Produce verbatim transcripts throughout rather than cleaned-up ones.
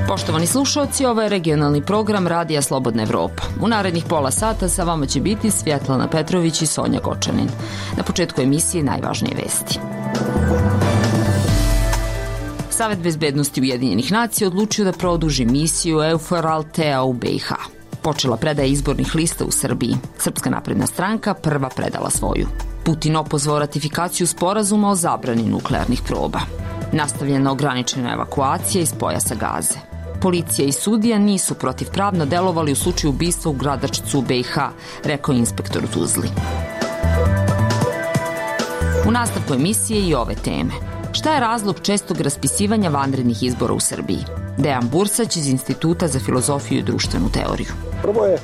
Poštovani slušalci, ovo je regionalni program Radija Slobodna Evropa. U narednih pola sata sa vama će biti Svjetlana Petrović i Sonja Gočanin. Na početku emisije najvažnije vesti. Savet bezbednosti Ujedinjenih nacija odlučio da produži misiju EUFOR Althea u B i H. Počela predaja izbornih lista u Srbiji. Srpska napredna stranka prva predala svoju. Putin opozvao ratifikaciju sporazuma o zabrani nuklearnih proba. Nastavljena ograničena evakuacija iz pojasa Gaze. Policija i sudija nisu protivpravno delovali u slučaju ubistva u Gradačcu u B i H, rekao inspektor u Tuzli. U nastavku emisije i ove teme. Šta je razlog čestog raspisivanja vanrednih izbora u Srbiji? Dejan Bursać iz Instituta za filozofiju i društvenu teoriju. Prvo je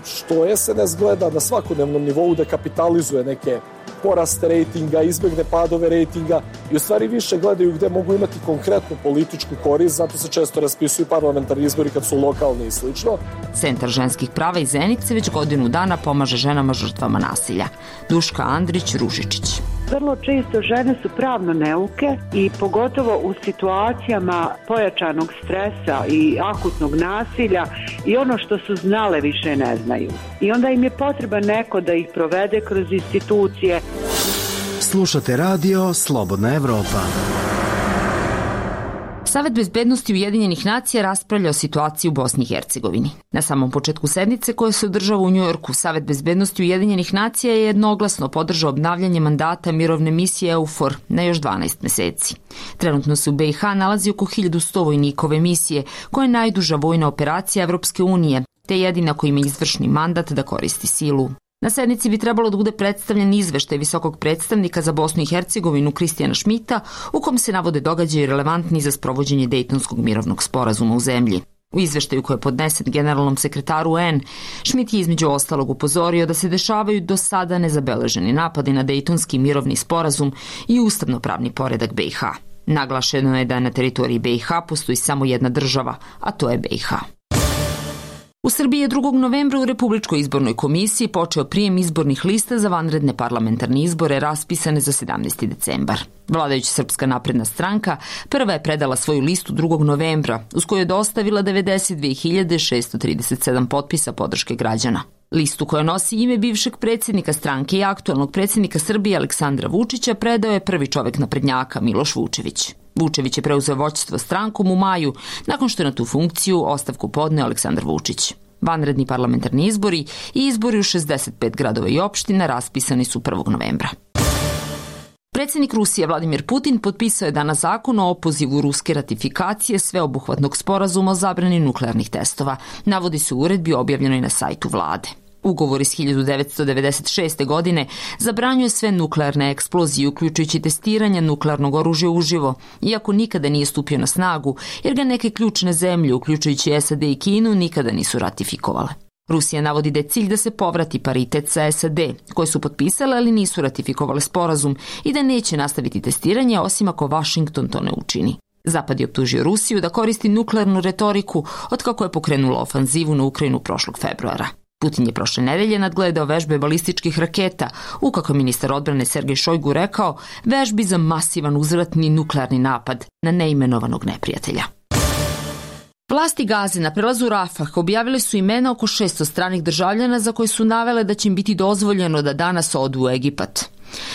što es en es gleda na svakodnevnom nivou da kapitalizuje neke poraste rejtinga, izbjegne padove rejtinga i u stvari više gledaju gde mogu imati konkretnu političku korist, zato se često raspisuju parlamentarni izbori kad su lokalni i slično. Centar ženskih prava iz Zenice već godinu dana pomaže ženama žrtvama nasilja. Duška Andrić-Ružičić. Vrlo često žene su pravno neuke i pogotovo u situacijama pojačanog stresa i akutnog nasilja i ono što su znale više ne znaju. I onda im je potreban neko da ih provede kroz institucije. Slušate radio Slobodna Evropa. Savet bezbednosti Ujedinjenih nacija raspravlja o situaciji u Bosni i Hercegovini. Na samom početku sednice koja se održava u Njujorku, Savet bezbednosti Ujedinjenih nacija je jednoglasno podržao obnavljanje mandata mirovne misije EUFOR na još dvanaest meseci. Trenutno se u B i H nalazi oko hiljadu sto vojnika ove misije, koja je najduža vojna operacija Evropske unije, te jedina koja ima izvršni mandat da koristi silu. Na sednici bi trebalo da bude predstavljen izveštaj visokog predstavnika za Bosnu i Hercegovinu Kristijana Šmita, u kom se navode događaji relevantni za sprovođenje Dejtonskog mirovnog sporazuma u zemlji. U izveštaju koji je podnesen generalnom sekretaru U N, Šmit je između ostalog upozorio da se dešavaju do sada nezabeleženi napadi na Dejtonski mirovni sporazum i ustavnopravni poredak B i H. Naglašeno je da na teritoriji B i H postoji samo jedna država, a to je B i H. U Srbiji je drugog novembra u Republičkoj izbornoj komisiji počeo prijem izbornih lista za vanredne parlamentarne izbore raspisane za sedamnaesti decembar. Vladajuća Srpska napredna stranka prva je predala svoju listu drugog novembra, uz koju je dostavila devedeset dve hiljade šessto trideset sedam potpisa podrške građana. Listu koja nosi ime bivšeg predsjednika stranke i aktualnog predsjednika Srbije Aleksandra Vučića predao je prvi čovjek naprednjaka Miloš Vučević. Vučević je preuzeo vođstvo strankom u maju, nakon što je na tu funkciju ostavku podneo Aleksandar Vučić. Vanredni parlamentarni izbori i izbori u šezdeset pet gradova i opština raspisani su prvog novembra. Predsjednik Rusije Vladimir Putin potpisao je danas zakon o opozivu ruske ratifikacije sveobuhvatnog sporazuma o zabrani nuklearnih testova, navodi se u uredbi objavljenoj na sajtu vlade. Ugovor iz hiljadu devetsto devedeset šeste. godine zabranjuje sve nuklearne eksplozije, uključujući testiranje nuklearnog oružja uživo, iako nikada nije stupio na snagu, jer ga neke ključne zemlje, uključujući S A D i Kinu, nikada nisu ratifikovale. Rusija navodi da je cilj da se povrati paritet sa S A D, koje su potpisale, ali nisu ratifikovale sporazum, i da neće nastaviti testiranje, osim ako Washington to ne učini. Zapad je optužio Rusiju da koristi nuklearnu retoriku otkako je pokrenula ofanzivu na Ukrajinu prošlog februara. Putin je prošle nedelje nadgledao vežbe balističkih raketa, u kako je ministar odbrane Sergej Šojgu rekao, vežbi za masivan uzvratni nuklearni napad na neimenovanog neprijatelja. Vlasti Gaze na prelazu Rafah objavile su imena oko šesto stranih državljana za koje su navele da će im biti dozvoljeno da danas odu u Egipat.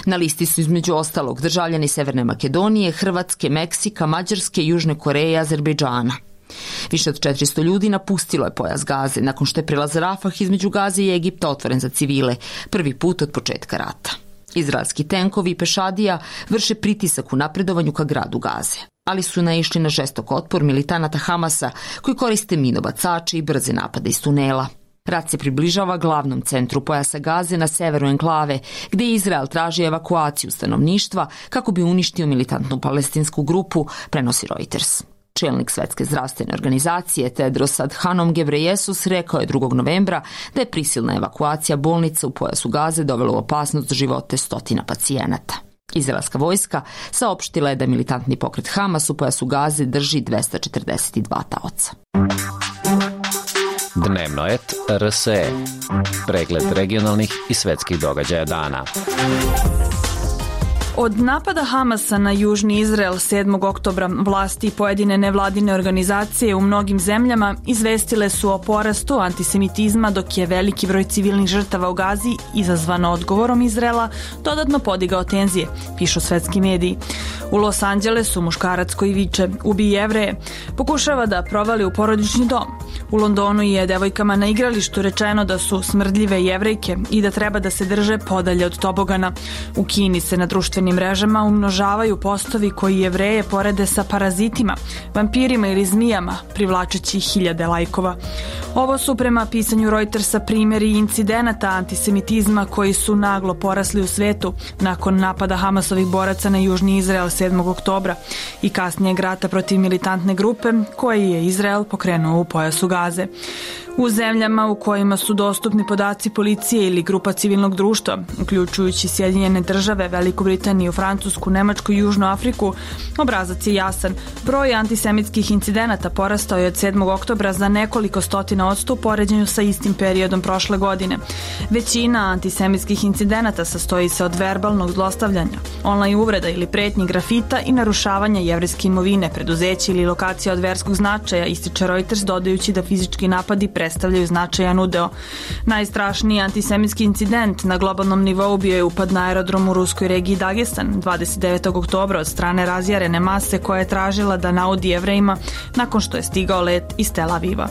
Na listi su između ostalog državljani Severne Makedonije, Hrvatske, Meksika, Mađarske, Južne Koreje i Azerbejdžana. Više od četiristo ljudi napustilo je pojas Gaze nakon što je prelaz Rafah između Gaze i Egipta otvoren za civile, prvi put od početka rata. Izraelski tenkovi i pešadija vrše pritisak u napredovanju ka gradu Gaze, ali su naišli na žestok otpor militanata Hamasa koji koriste minobacače i brze napade iz tunela. Rat se približava glavnom centru pojasa Gaze na severu enklave, gde Izrael traži evakuaciju stanovništva kako bi uništio militantnu palestinsku grupu, prenosi Reuters. Čelnik Svetske zdravstvene organizacije Tedros Adhanom Ghebreyesus rekao je drugog novembra da je prisilna evakuacija bolnica u pojasu Gaze dovela u opasnost za živote stotina pacijenata. Izraelska vojska saopštila je da militantni pokret Hamas u pojasu Gaze drži dvesta četrdeset dva taoca. Dnevnoet R S E. Pregled regionalnih i svetskih događaja dana. Od napada Hamasa na južni Izrael sedmog oktobra vlasti i pojedine nevladine organizacije u mnogim zemljama izvestile su o porastu antisemitizma, dok je veliki broj civilnih žrtava u Gazi, izazvano odgovorom Izraela, dodatno podigao tenzije, pišu svetski mediji. U Los Angelesu muškarac koji viče "Ubi Jevreje" pokušava da provali u porodični dom. U Londonu je devojkama na igralištu rečeno da su smrdljive Jevrejke i da treba da se drže podalje od tobogana. U Kini se na društvenim mrežama umnožavaju postovi koji Jevreje porede sa parazitima, vampirima ili zmijama, privlačeći hiljade lajkova. Ovo su prema pisanju Reutersa primjeri incidenata antisemitizma koji su naglo porasli u svetu nakon napada Hamasovih boraca na južni Izrael sedmog oktobra i kasnijeg rata protiv militantne grupe koji je Izrael pokrenuo u pojasu Gaze. U zemljama u kojima su dostupni podaci policije ili grupa civilnog društva, uključujući Sjedinjene države, Veliku Britaniju, Francusku, Nemačku i Južnu Afriku, obrazac je jasan. Broj antisemitskih incidenata porastao je od sedmog oktobra za nekoliko stotina odsto u poređenju sa istim periodom prošle godine. Većina antisemitskih incidenata sastoji se od verbalnog zlostavljanja, online uvreda ili pretnji, grafita i narušavanja jevrejske imovine, preduzeća ili lokacija od verskog značaja, ističe Reuters, dodajući da fizički napadi predstavljaju značajan udeo. Najstrašniji antisemitski incident na globalnom nivou bio je upad na aerodrom u ruskoj regiji Dagestan dvadeset devetog oktobra od strane razjarene mase koja je tražila da naudi Jevrejima nakon što je stigao let iz Tel Aviva.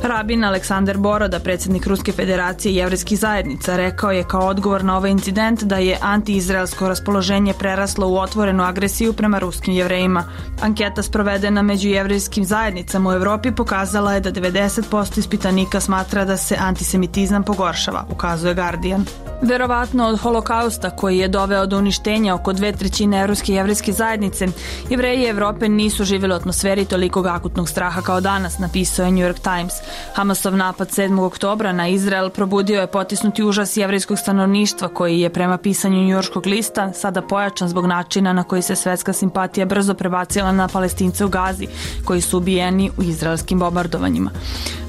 Rabin Aleksandar Boroda, predsjednik Ruske federacije jevrejskih zajednica, rekao je kao odgovor na ovaj incident da je antiizraelsko raspoloženje preraslo u otvorenu agresiju prema ruskim Jevrejima. Anketa sprovedena među jevrejskim zajednicama u Evropi pokazala je da devedeset posto ispitanika smatra da se antisemitizam pogoršava, ukazuje Guardian. Verovatno od holokausta koji je doveo do uništenja oko dve trećine evropske jevrejske zajednice, Jevreji Evrope nisu živjeli u atmosferi tolikog akutnog straha kao danas, napisao je New York Times. Hamasov napad sedmog oktobra na Izrael probudio je potisnuti užas jevrejskog stanovništva koji je prema pisanju njujorškog lista sada pojačan zbog načina na koji se svetska simpatija brzo prebacila na Palestince u Gazi, koji su ubijeni u izraelskim bombardovanjima.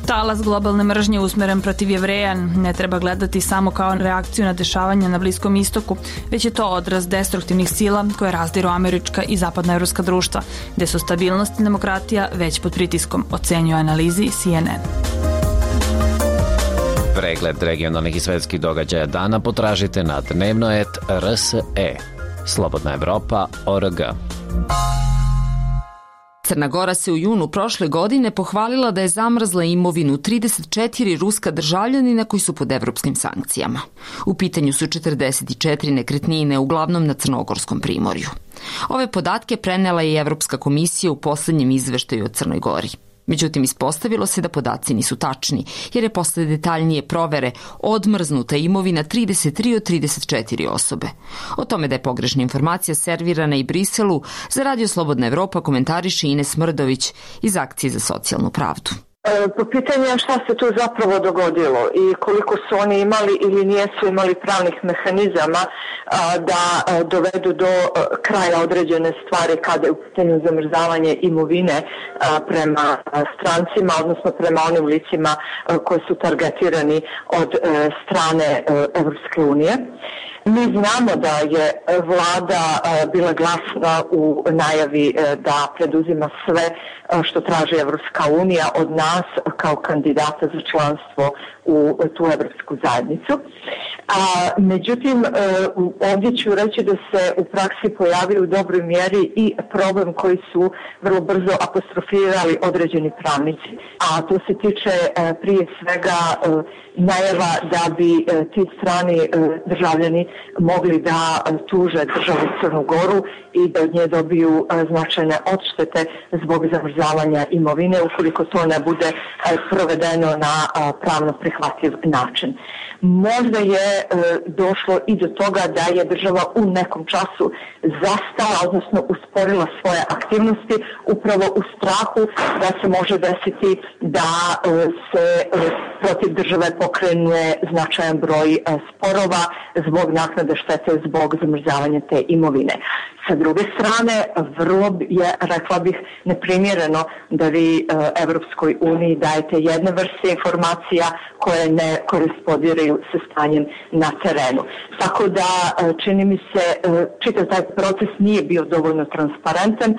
Talas globalne mržnje usmeren protiv Jevreja ne treba gledati samo kao reakciju na dešavanja na Bliskom istoku, već je to odraz destruktivnih sila koje razdiru američka i zapadnoevropska društva, gde su stabilnost i demokratija već pod pritiskom, ocenjuje analizi C N N. Pregled regionalnih i svetskih događaja dana potražite na Dnevnoet R S E. Slobodna Evropa O R G. Crna Gora se u junu prošle godine pohvalila da je zamrzla imovinu trideset četiri ruska državljanina koji su pod evropskim sankcijama. U pitanju su četrdeset četiri nekretnine, uglavnom na Crnogorskom primorju. Ove podatke prenela je Evropska komisija u poslednjem izveštaju o Crnoj Gori. Međutim, ispostavilo se da podaci nisu tačni, jer je posle detaljnije provere odmrznuta imovina trideset tri od trideset četiri osobe. O tome da je pogrešna informacija servirana i Briselu, za Radio Slobodna Evropa komentariše Ines Mrdović iz Akcije za socijalnu pravdu. Po pitanju šta se tu zapravo dogodilo i koliko su oni imali ili nijesu imali pravnih mehanizama da dovedu do kraja određene stvari kada je u pitanju zamrzavanje imovine prema strancima, odnosno prema onim licima koji su targetirani od strane Evropske unije. Mi znamo da je vlada bila glasna u najavi da preduzima sve što traži Evropska unija od nas kao kandidata za članstvo u tu Evropsku zajednicu. A, međutim, ovdje ću reći da se u praksi pojavio u dobroj mjeri i problem koji su vrlo brzo apostrofirali određeni pravnici. A to se tiče prije svega najava da bi ti strani državljani mogli da tuže državu Crnu Goru i da od nje dobiju značajne odštete zbog zamrzavanja imovine ukoliko to ne bude provedeno na pravno prihvatljiv način. Možda je e, došlo i do toga da je država u nekom času zastala, odnosno usporila svoje aktivnosti upravo u strahu da se može desiti da e, se e, protiv države pokrene značajan broj e, sporova zbog naknade štete zbog zamrzavanja te imovine. Sa druge strane, vrlo je, rekla bih, neprimjereno da vi Evropskoj uniji dajete jedne vrste informacija koje ne korespondiraju sa stanjem na terenu. Tako da, čini mi se, čitav taj proces nije bio dovoljno transparentan,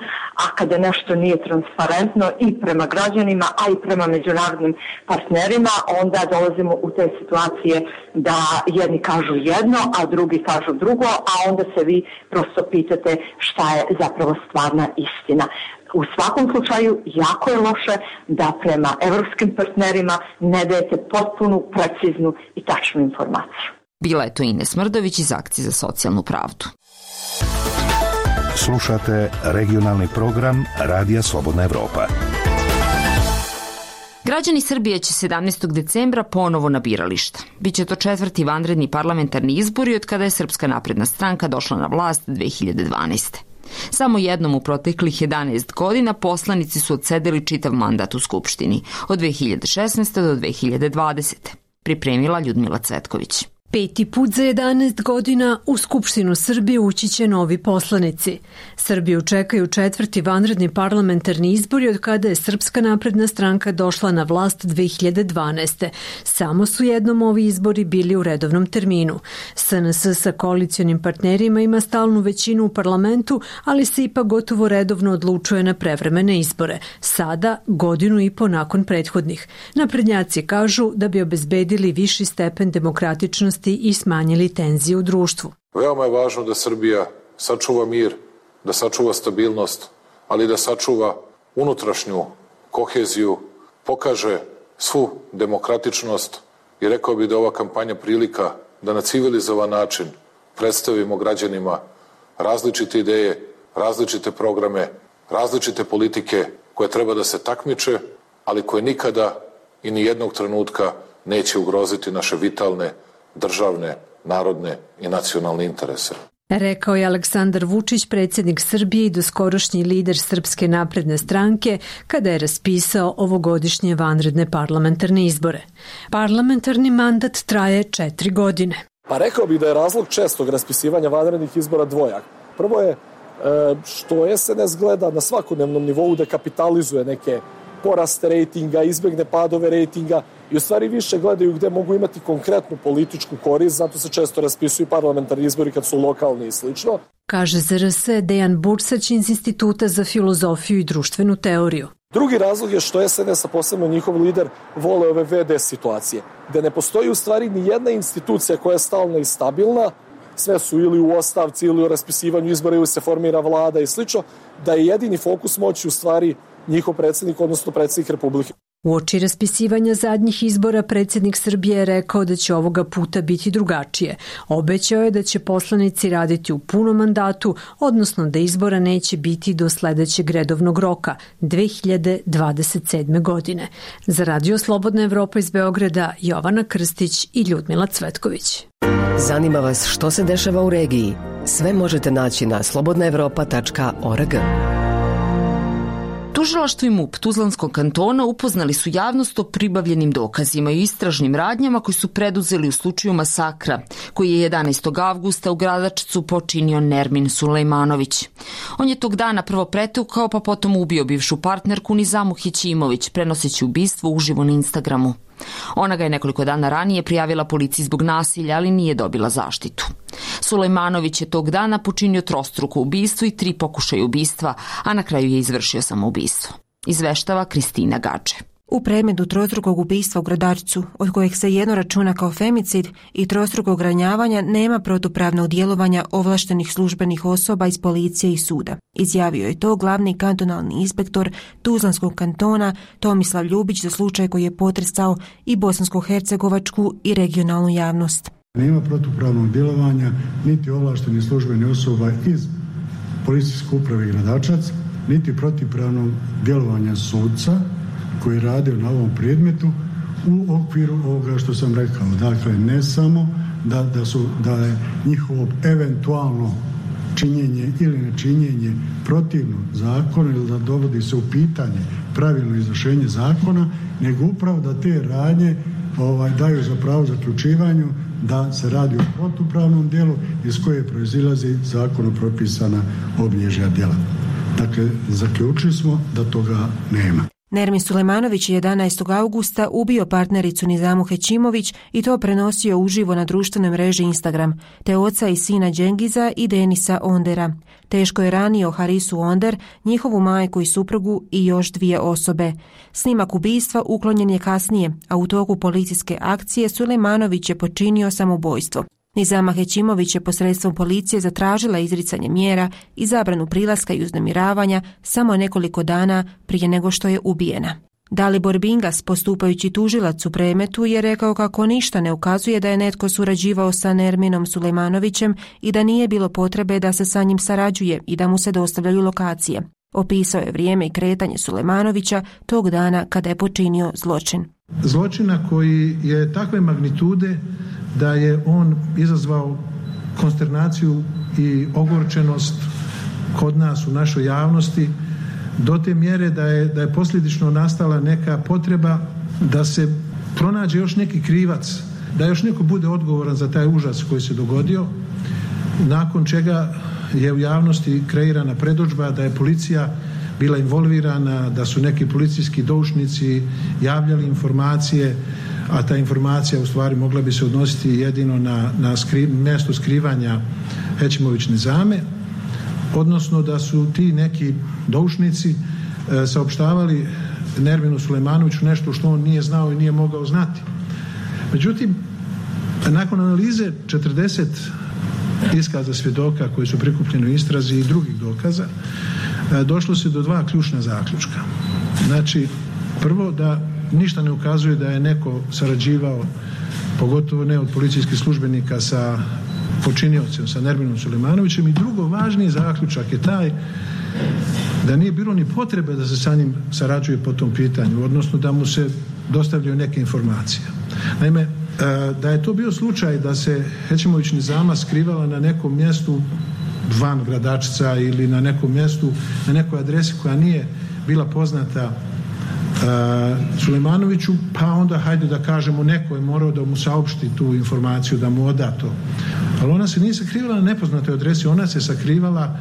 a kada nešto nije transparentno i prema građanima, a i prema međunarodnim partnerima, onda dolazimo u te situacije da jedni kažu jedno, a drugi kažu drugo, a onda se vi prosto pitate šta je zapravo stvarna istina. U svakom slučaju jako je loše da prema evropskim partnerima ne dajete potpunu, preciznu i tačnu informaciju. Bila je to Ines Mrdović iz Akcije za socijalnu pravdu. Slušate regionalni program Radija Slobodna Evropa. Građani Srbije će sedamnaestog decembra ponovo na birališta. Biće to četvrti vanredni parlamentarni izbori od kada je Srpska napredna stranka došla na vlast dve hiljade dvanaeste. Samo jednom u proteklih jedanaest godina poslanici su odsedeli čitav mandat u Skupštini, od dve hiljade šesnaeste. do dve hiljade dvadesete. Pripremila Ljudmila Cvetković. Peti put za jedanaest godina u Skupštinu Srbije ući će novi poslanici. Srbiju čekaju četvrti vanredni parlamentarni izbori od kada je Srpska napredna stranka došla na vlast dve hiljade dvanaeste. Samo su jednom ovi izbori bili u redovnom terminu. S N S sa koalicionim partnerima ima stalnu većinu u parlamentu, ali se ipak gotovo redovno odlučuje na prevremene izbore. Sada, godinu i po nakon prethodnih. Naprednjaci kažu da bi obezbedili viši stepen demokratičnosti i smanjili tenzije u društvu. Veoma je važno da Srbija sačuva mir, da sačuva stabilnost, ali da sačuva unutrašnju koheziju, pokaže svu demokratičnost i rekao bih da ova kampanja prilika da na civilizovan način predstavimo građanima različite ideje, različite programe, različite politike koje treba da se takmiče, ali koje nikada i ni jednog trenutka neće ugroziti naše vitalne državne, narodne i nacionalne interese. Rekao je Aleksandar Vučić, predsjednik Srbije i doskorošnji lider Srpske napredne stranke, kada je raspisao ovogodišnje vanredne parlamentarne izbore. Parlamentarni mandat traje četiri godine. Pa rekao bih da je razlog čestog raspisivanja vanrednih izbora dvojak. Prvo je što S N S gleda na svakodnevnom nivou da kapitalizuje neke poraste rejtinga, izbegne padove rejtinga i u stvari više gledaju gde mogu imati konkretnu političku korist, zato se često raspisuju parlamentarni izbori kad su lokalni i slično. Kaže Z R S Dejan Bursać iz Instituta za filozofiju i društvenu teoriju. Drugi razlog je što S N S, a posebno njihov lider, vole ove V D situacije, gde ne postoji u stvari ni jedna institucija koja je stalna i stabilna, sve su ili u ostavci ili u raspisivanju izbora ili se formira vlada i slično, da je jedini fokus moći u stvari njihov predsjednik, odnosno predsjednik Republike. Uoči raspisivanja zadnjih izbora predsjednik Srbije je rekao da će ovoga puta biti drugačije. Obećao je da će poslanici raditi u punom mandatu, odnosno da izbora neće biti do sledećeg redovnog roka, dve hiljade dvadeset sedme. godine. Za Radio Slobodna Evropa iz Beograda, Jovana Krstić i Ljudmila Cvetković. Zanima vas što se dešava u regiji? Sve možete naći na slobodna evropa tačka org. Tužilaštvo i M U P Tuzlanskog kantona upoznali su javnost o pribavljenim dokazima i istražnim radnjama koji su preduzeli u slučaju masakra, koji je jedanaestog avgusta u Gradačcu počinio Nermin Sulejmanović. On je tog dana prvo pretukao, pa potom ubio bivšu partnerku Nizamu Hićimović, prenoseći ubistvo uživo na Instagramu. Ona ga je nekoliko dana ranije prijavila policiji zbog nasilja, ali nije dobila zaštitu. Sulejmanović je tog dana počinio trostruko ubistvo i tri pokušaja ubistva, a na kraju je izvršio samoubistvo. Izveštava Kristina Gače. U predmetu trostrukog ubistva u Gradačcu, od kojeg se jedno računa kao femicid, i trostrukog ranjavanja nema protupravnog djelovanja ovlaštenih službenih osoba iz policije i suda. Izjavio je to glavni kantonalni inspektor Tuzlanskog kantona Tomislav Ljubić za slučaj koji je potresao i bosansko-hercegovačku i regionalnu javnost. Nema protupravnog djelovanja niti ovlaštenih službenih osoba iz policijske uprave Gradačac, niti protupravnog djelovanja sudca koji rade na ovom predmetu u okviru ovoga što sam rekao. Dakle, ne samo da, da, su, da je njihovo eventualno činjenje ili nečinjenje protivno zakonu ili da dovodi se u pitanje pravilno izvršenje zakona, nego upravo da te radnje ovaj, daju za pravo zaključivanju da se radi o protupravnom djelu iz koje proizilazi zakonom propisana obilježja djela. Dakle, zaključili smo da toga nema. Nermin Sulejmanović je jedanaestog augusta ubio partnericu Nizamu Hećimović i to prenosio uživo na društvenoj mreži Instagram, te oca i sina Džengiza i Denisa Ondera. Teško je ranio Harisu Onder, njihovu majku i suprugu i još dvije osobe. Snimak ubistva uklonjen je kasnije, a u toku policijske akcije Sulejmanović je počinio samoubojstvo. Nizama Hećimović je posredstvom policije zatražila izricanje mjera i zabranu prilaska i uznemiravanja samo nekoliko dana prije nego što je ubijena. Dalibor Bingas, postupajući tužilac u predmetu, je rekao kako ništa ne ukazuje da je netko surađivao sa Nerminom Sulejmanovićem i da nije bilo potrebe da se sa njim sarađuje i da mu se dostavljaju lokacije. Opisao je vrijeme i kretanje Sulejmanovića tog dana kada je počinio zločin. Zločina koji je takve magnitude da je on izazvao konsternaciju i ogorčenost kod nas u našoj javnosti do te mjere da je, da je posljedično nastala neka potreba da se pronađe još neki krivac, da još neko bude odgovoran za taj užas koji se dogodio, nakon čega je u javnosti kreirana predodžba da je policija bila involvirana, da su neki policijski doušnici javljali informacije, a ta informacija u stvari mogla bi se odnositi jedino na, na skri, mjesto skrivanja Hećimović Nizame, odnosno da su ti neki doušnici e, saopštavali Nerminu Sulejmanoviću nešto što on nije znao i nije mogao znati. Međutim, nakon analize četrdeset iskaza svjedoka koji su prikupljeni u istrazi i drugih dokaza, e, došlo se do dva ključna zaključka. Znači, prvo da ništa ne ukazuje da je neko sarađivao, pogotovo ne od policijskih službenika, sa počiniocem, sa Nerminom Sulejmanovićem, i drugo, važniji zaključak je taj da nije bilo ni potrebe da se sa njim sarađuje po tom pitanju, odnosno da mu se dostavljaju neke informacije. Naime, da je to bio slučaj da se Hećimović Nizama skrivala na nekom mjestu van Gradačca ili na nekom mjestu, na nekoj adresi koja nije bila poznata Uh, Sulejmanoviću, pa onda hajde da kažemo neko je morao da mu saopšti tu informaciju, da mu oda to. Ali ona se nije sakrivala na nepoznatoj adresi, ona se sakrivala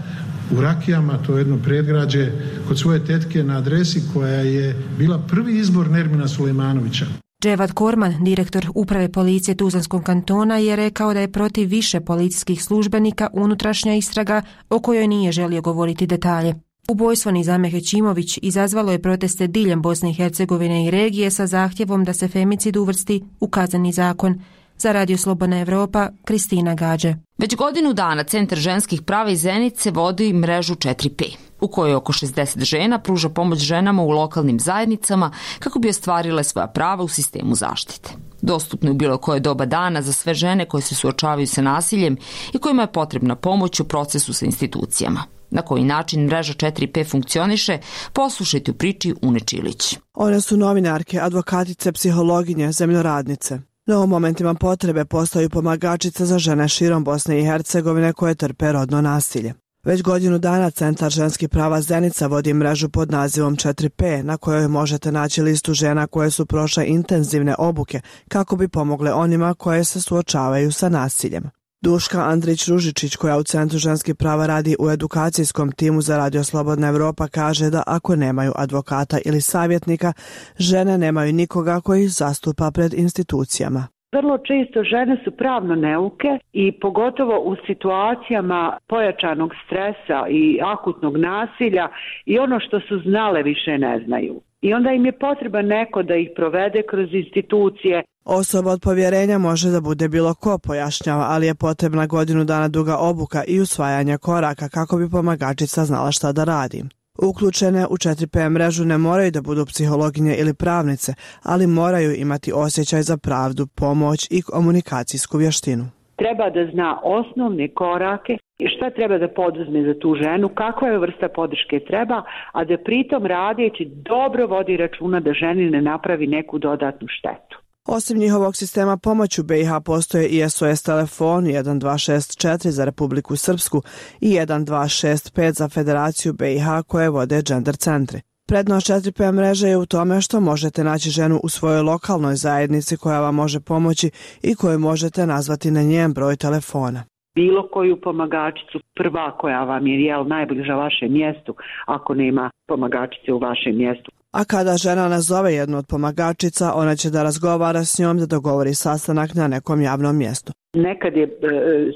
u Rakijama, to je jedno predgrađe, kod svoje tetke na adresi koja je bila prvi izbor Nermina Sulejmanovića. Dževad Korman, direktor uprave policije Tuzlanskog kantona, je rekao da je protiv više policijskih službenika unutrašnja istraga o kojoj nije želio govoriti detalje. Ubojstvo Nizame Hećimović izazvalo je proteste diljem Bosne i Hercegovine i regije sa zahtjevom da se femicid uvrsti u kazneni zakon. Za Radio Slobodna Evropa, Kristina Gađe. Već godinu dana Centar ženskih prava iz Zenice vodi mrežu četiri P, u kojoj oko šezdeset žena pruža pomoć ženama u lokalnim zajednicama kako bi ostvarile svoja prava u sistemu zaštite. Dostupno je u bilo koje doba dana za sve žene koje se suočavaju sa nasiljem i kojima je potrebna pomoć u procesu sa institucijama. Na koji način mreža četiri P funkcioniše, poslušajte u priči Une Čilić. One su novinarke, advokatice, psihologinje, zemljoradnice. No u momentima potrebe postaju pomagačice za žene širom Bosne i Hercegovine koje trpe rodno nasilje. Već godinu dana Centar ženskih prava Zenica vodi mrežu pod nazivom četiri P, na kojoj možete naći listu žena koje su prošle intenzivne obuke kako bi pomogle onima koje se suočavaju sa nasiljem. Duška Andrić-Ružičić, koja u Centru ženskih prava radi u edukacijskom timu za Radio Slobodna Evropa, kaže da ako nemaju advokata ili savjetnika, žene nemaju nikoga koji ih zastupa pred institucijama. Vrlo često žene su pravno neuke i pogotovo u situacijama pojačanog stresa i akutnog nasilja i ono što su znale više ne znaju. I onda im je potreban neko da ih provede kroz institucije. Osoba od povjerenja može da bude bilo ko, pojašnjava, ali je potrebna godinu dana duga obuka i usvajanja koraka kako bi pomagačica znala šta da radi. Uključene u četiri P mrežu ne moraju da budu psihologinje ili pravnice, ali moraju imati osjećaj za pravdu, pomoć i komunikacijsku vještinu. Treba da zna osnovne korake i šta treba da poduzme za tu ženu, kakva je vrsta podrške treba, a da pritom radeći dobro vodi računa da ženi ne napravi neku dodatnu štetu. Osim njihovog sistema pomoći u B i H postoje i S O S telefon jedan dva šest četiri za Republiku Srpsku i jedan dva šest pet za Federaciju B i H koje vode gender centri. Prednost četiri P mreže je u tome što možete naći ženu u svojoj lokalnoj zajednici koja vam može pomoći i koju možete nazvati na njen broj telefona. Bilo koju pomagačicu, prva koja vam je jel, najbliža vašem mjestu, ako nema pomagačice u vašem mjestu. A kada žena nazove jednu od pomagačica, ona će da razgovara s njom da dogovori sastanak na nekom javnom mjestu. Nekad je e,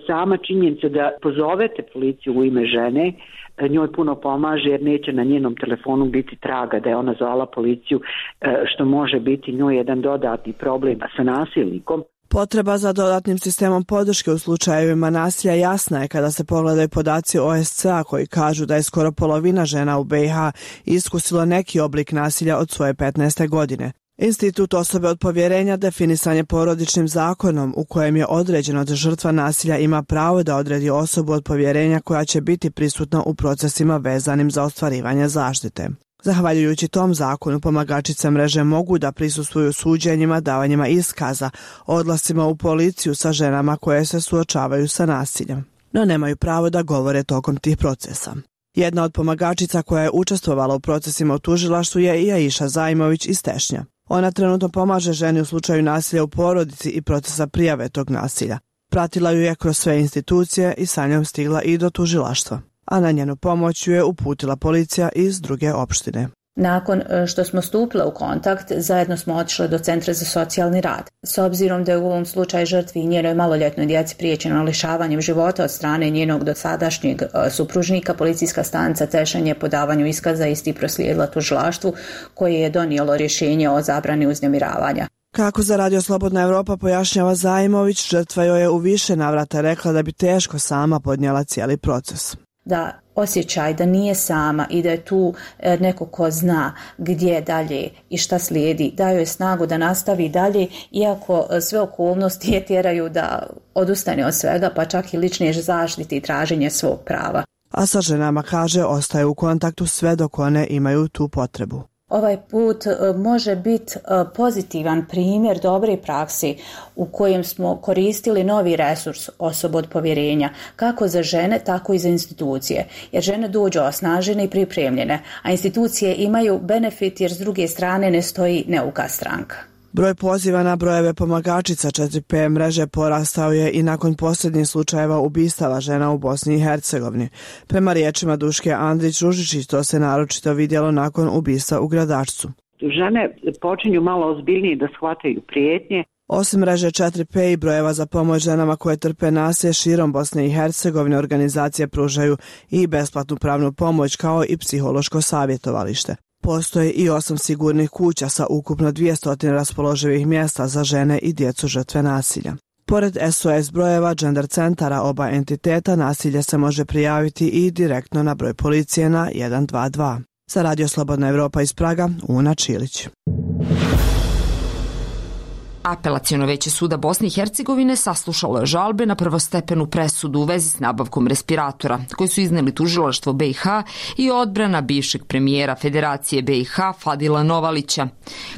sama činjenica da pozovete policiju u ime žene, njoj puno pomaže jer neće na njenom telefonu biti traga da je ona zvala policiju, e, što može biti njoj jedan dodatni problem sa nasilnikom. Potreba za dodatnim sistemom podrške u slučajevima nasilja jasna je kada se pogledaju podaci O S C A koji kažu da je skoro polovina žena u B i H iskusilo neki oblik nasilja od svoje petnaeste godine. Institut osobe od povjerenja definisan je porodičnim zakonom u kojem je određeno da žrtva nasilja ima pravo da odredi osobu od povjerenja koja će biti prisutna u procesima vezanim za ostvarivanje zaštite. Zahvaljujući tom zakonu, pomagačice mreže mogu da prisustvuju suđenjima, davanjima iskaza, odlascima u policiju sa ženama koje se suočavaju sa nasiljem, no nemaju pravo da govore tokom tih procesa. Jedna od pomagačica koja je učestvovala u procesima u tužilaštvu je i Aisha Zajmović iz Tešnja. Ona trenutno pomaže ženi u slučaju nasilja u porodici i procesa prijave tog nasilja. Pratila ju je kroz sve institucije i sa njom stigla i do tužilaštva, a na njenu pomoć ju je uputila policija iz druge opštine. Nakon što smo stupile u kontakt, zajedno smo otišli do Centra za socijalni rad. S obzirom da je u ovom slučaju žrtvi i njenoj maloljetnoj djeci priječeno lišavanjem života od strane njenog dosadašnjeg supružnika, policijska stanica Tešanj je po davanju iskaza isti proslijedila tužilaštvu koje je donijelo rješenje o zabrani uznemiravanja. Kako za Radio Slobodna Evropa pojašnjava Zajmović, žrtva joj je u više navrata rekla da bi teško sama podnijela cijeli proces. Da osjećaj da nije sama i da je tu neko ko zna gdje dalje i šta slijedi, daju je snagu da nastavi dalje, iako sve okolnosti je tjeraju da odustane od svega, pa čak i lične zaštite i traženje svog prava. A sa ženama, kaže, ostaje u kontaktu sve dok one imaju tu potrebu. Ovaj put može biti pozitivan primjer dobre prakse u kojem smo koristili novi resurs osoba od povjerenja, kako za žene, tako i za institucije. Jer žene dođu osnažene i pripremljene, a institucije imaju benefit jer s druge strane ne stoji neuka stranka. Broj poziva na brojeve pomagačica četiri P mreže porastao je i nakon posljednjih slučajeva ubistava žena u Bosni i Hercegovini. Prema riječima Duške Andrić-Ružičić, to se naročito vidjelo nakon ubistva u Gradačcu. Žene počinju malo ozbiljnije da shvataju prijetnje. Osim mreže četiri P i brojeva za pomoć ženama koje trpe nasilje širom Bosne i Hercegovine, organizacije pružaju i besplatnu pravnu pomoć kao i psihološko savjetovalište. Postoje i osam sigurnih kuća sa ukupno dvjesto raspoloživih mjesta za žene i djecu žrtve nasilja. Pored S O S brojeva gender centara oba entiteta, nasilje se može prijaviti i direktno na broj policije na jedan dva dva. Za Radio Slobodna Evropa iz Praga, Una Čilić. Apelaciono veće suda Bosne i Hercegovine saslušalo je žalbe na prvostepenu presudu u vezi s nabavkom respiratora, koji su izneli tužilaštvo B i H i odbrana bivšeg premijera Federacije B i H Fadila Novalića,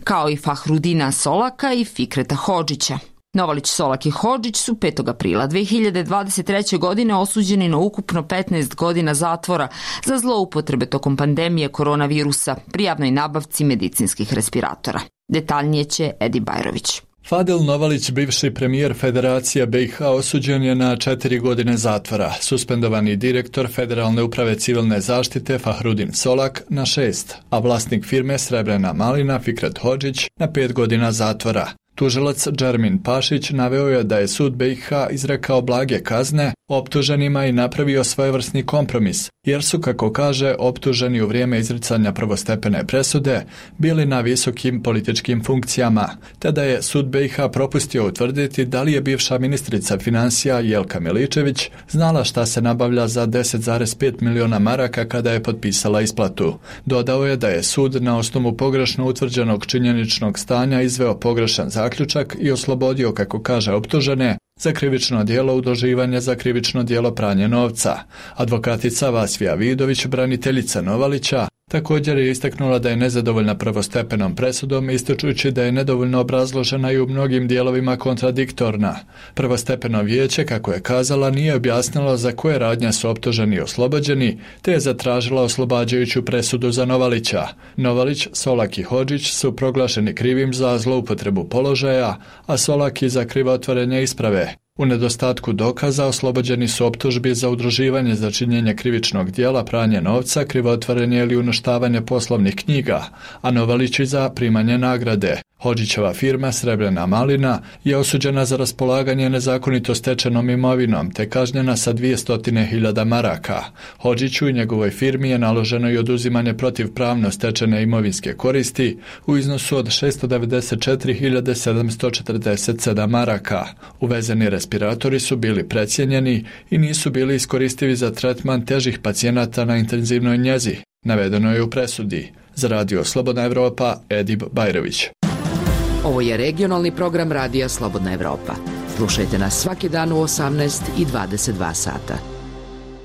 kao i Fahrudina Solaka i Fikreta Hodžića. Novalić, Solak i Hodžić su petog aprila dve hiljade dvadeset treće. godine osuđeni na ukupno petnaest godina zatvora za zloupotrebe tokom pandemije koronavirusa pri javnoj nabavci medicinskih respiratora. Detaljnije će Edi Bajrović. Fadil Novalić, bivši premijer Federacije B i H, osuđen je na četiri godine zatvora. Suspendovani direktor Federalne uprave civilne zaštite Fahrudin Solak na šest, a vlasnik firme Srebrena malina Fikret Hodžić na pet godina zatvora. Tužilac Džermin Pašić naveo je da je sud B i H izrekao blage kazne optuženima i napravio svojevrsni kompromis, jer su, kako kaže, optuženi u vrijeme izricanja prvostepene presude bili na visokim političkim funkcijama, te da je sud B i H propustio utvrditi da li je bivša ministrica financija Jelka Miličević znala šta se nabavlja za deset zarez pet miliona maraka kada je potpisala isplatu. Dodao je da je sud na osnovu pogrešno utvrđenog činjeničnog stanja izveo pogrešan zaključak i oslobodio, kako kaže, optužene za krivično djelo udruživanja za krivično djelo pranje novca. Advokatica Vasvija Vidović, braniteljica Novalića, Također je istaknula da je nezadovoljna prvostepenom presudom, ističući da je nedovoljno obrazložena i u mnogim dijelovima kontradiktorna. Prvostepeno vijeće, kako je kazala, nije objasnilo za koje radnje su optuženi i oslobođeni, te je zatražila oslobađajuću presudu za Novalića. Novalić, Solak i Hodžić su proglašeni krivim za zloupotrebu položaja, a Solak i za krivotvorenje isprave. U nedostatku dokaza oslobođeni su optužbi za udruživanje za činjenje krivičnog djela, pranje novca, krivotvorenje ili uništavanje poslovnih knjiga, a Novalići za primanje nagrade. Hodžićeva firma Srebrena malina je osuđena za raspolaganje nezakonito stečenom imovinom te kažnjena sa dvjesto hiljada maraka. Hodžiću i njegovoj firmi je naloženo i oduzimanje protivpravno stečene imovinske koristi u iznosu od šesto devedeset četiri hiljade sedamsto četrdeset sedam maraka. Uvezeni respiratori su bili precijenjeni i nisu bili iskoristivi za tretman težih pacijenata na intenzivnoj njezi, navedeno je u presudi. Za Radio Slobodna Evropa, Edib Bajrović. Ovo je regionalni program Radija Slobodna Evropa. Slušajte nas svaki dan u osamnaest i dvadeset dva sata.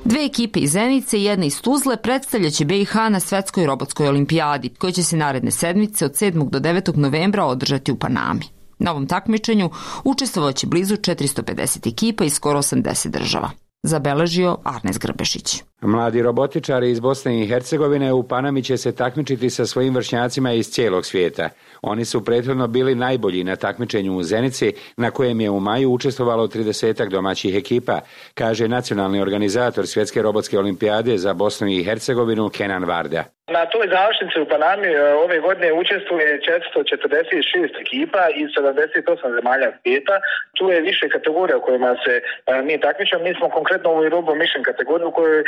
Dve ekipe iz Zenice i jedna iz Tuzle predstavljaće B i H na Svetskoj robotskoj olimpijadi, koja će se naredne sedmice od sedmog do devetog novembra održati u Panami. Na ovom takmičenju učestvovaće blizu četiristo pedeset ekipa iz skoro osamdeset država. Zabeležio Arnes Grbešić. Mladi robotičari iz Bosne i Hercegovine u Panami će se takmičiti sa svojim vršnjacima iz cijelog svijeta. Oni su prethodno bili najbolji na takmičenju u Zenici, na kojem je u maju učestvovalo tridesetak domaćih ekipa, kaže nacionalni organizator Svjetske robotske olimpijade za Bosnu i Hercegovinu Kenan Varda. Na toj završnici u Panami ove godine učestvuje četiristo četrdeset šest ekipa iz sedamdeset osam zemalja svijeta. Tu je više kategorija u kojima se mi takmičimo. Mi smo konkretno u Robo Mission kategoriju u kojoj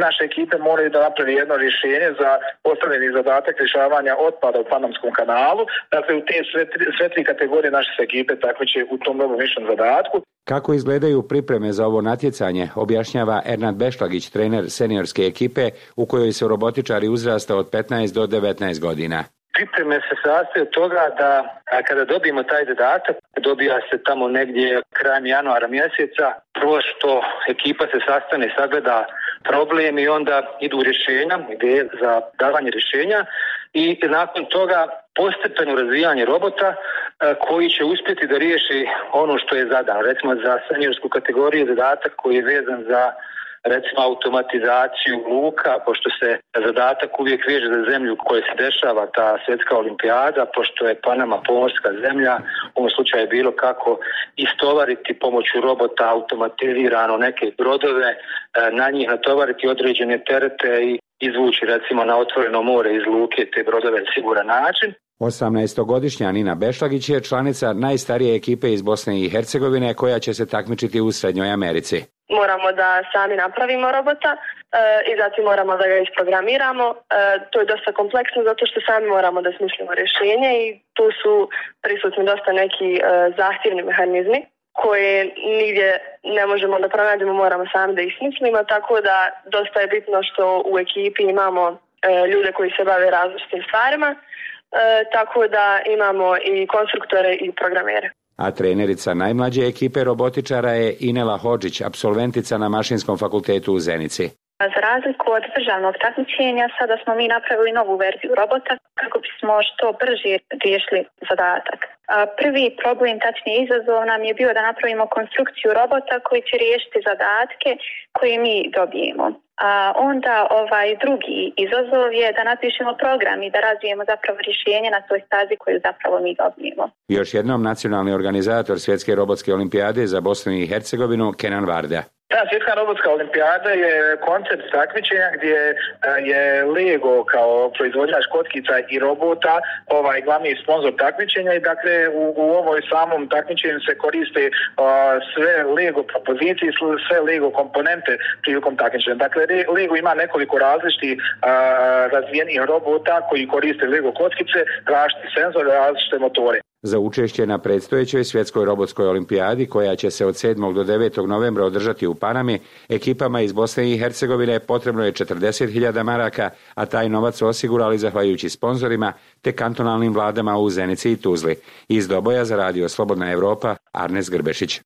naše ekipe moraju da napravi jedno rješenje za postavljeni zadatak rješavanja otpada u Panamskom kanalu. Dakle, u te sve tri, sve tri kategorije naše se ekipe takmiče u tom Robo Mission zadatku. Kako izgledaju pripreme za ovo natjecanje, objašnjava Ernad Bešlagić, trener seniorske ekipe u kojoj su robotičari uzrasta od petnaest do devetnaest godina. Pripreme se sastoje od toga da kada dobijemo taj zadatak, dobija se tamo negdje krajem januara mjeseca, prvo što ekipa se sastane, sagleda problem i onda idu rješenja, ideje za davanje rješenja i nakon toga postepeno razvijanje robota koji će uspjeti da riješi ono što je zadano. Recimo za seniorsku kategoriju zadatak koji je vezan za recimo automatizaciju luka, pošto se zadatak uvijek veže za zemlju u kojoj se dešava ta svjetska olimpijada, pošto je Panama pomorska zemlja, u ovom slučaju je bilo kako istovariti pomoću robota automatizirano neke brodove, na njih natovariti određene terete i izvući recimo na otvoreno more iz luke te brodove na siguran način. osamnaestogodišnja Nina Bešlagić je članica najstarije ekipe iz Bosne i Hercegovine koja će se takmičiti u Srednjoj Americi. Moramo da sami napravimo robota e, i zatim moramo da ga isprogramiramo. E, to je dosta kompleksno zato što sami moramo da smislimo rješenje i tu su prisutni dosta neki e, zahtjevni mehanizmi koje nigdje ne možemo da pronađemo, moramo sami da ih smislimo, tako da dosta je bitno što u ekipi imamo e, ljude koji se bave različitim stvarima, e, tako da imamo i konstruktore i programere. A trenerica najmlađe ekipe robotičara je Inela Hodžić, apsolventica na Mašinskom fakultetu u Zenici. Za razliku od državnog takmičenja, sada smo mi napravili novu verziju robota kako bismo što brže riješili zadatak. Prvi problem, tačnije izazov, nam je bio da napravimo konstrukciju robota koji će riješiti zadatke koje mi dobijemo. A onda ovaj drugi izazov je da napišemo program i da razvijemo zapravo rješenje na toj stazi koju zapravo mi dobijemo. Još jednom nacionalni organizator Svjetske robotske olimpijade za Bosnu i Hercegovinu Kenan Varda. Ta svjetska robotska olimpijada je koncept takmičenja gdje je Lego kao proizvođač kockica i robota ovaj glavni sponsor takmičenja i dakle u, u ovoj samom takmičenju se koriste uh, sve Lego propozicije, sve Lego komponente prilikom takmičenja. Dakle, Lego ima nekoliko različitih uh, razvijenih robota koji koriste Lego kockice, različite senzore, različite motore. Za učešće na predstojećoj Svjetskoj robotskoj olimpijadi, koja će se od sedmog do devetog novembra održati u Panami, ekipama iz Bosne i Hercegovine potrebno je četrdeset hiljada maraka, a taj novac su osigurali zahvaljujući sponzorima te kantonalnim vladama u Zenici i Tuzli. Iz Doboja za Radio Slobodna Evropa, Arnes Grbešić.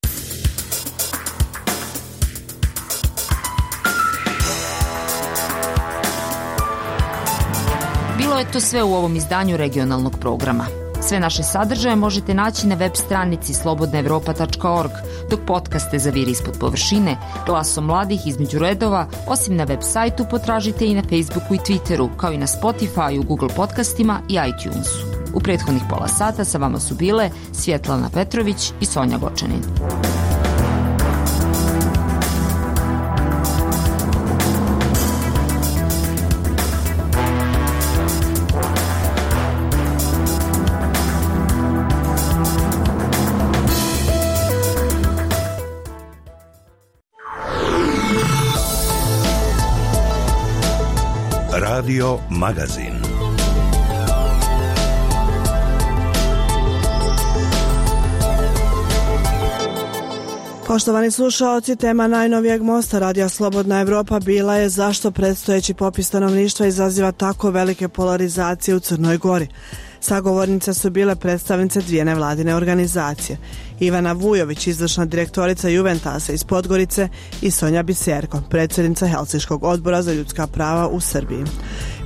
Bilo je to sve u ovom izdanju regionalnog programa. Sve naše sadržaje možete naći na web stranici slobodna evropa tačka org, dok podcaste za Vir ispod površine, Glasom mladih između redova, osim na web sajtu potražite i na Facebooku i Twitteru, kao i na Spotifyu, Google podcastima i iTunesu. U prethodnih pola sata sa vama su bile Svjetlana Petrović i Sonja Gočanin. Radio Magazin. Poštovani slušaoci, tema najnovijeg mosta Radija Slobodna Evropa bila je zašto predstojeći popis stanovništva izaziva tako velike polarizacije u Crnoj Gori. Sagovornice su bile predstavnice dvije nevladine organizacije. Ivana Vujović, izvršna direktorica Juventasa iz Podgorice, i Sonja Biserko, predsjednica Helsinškog odbora za ljudska prava u Srbiji.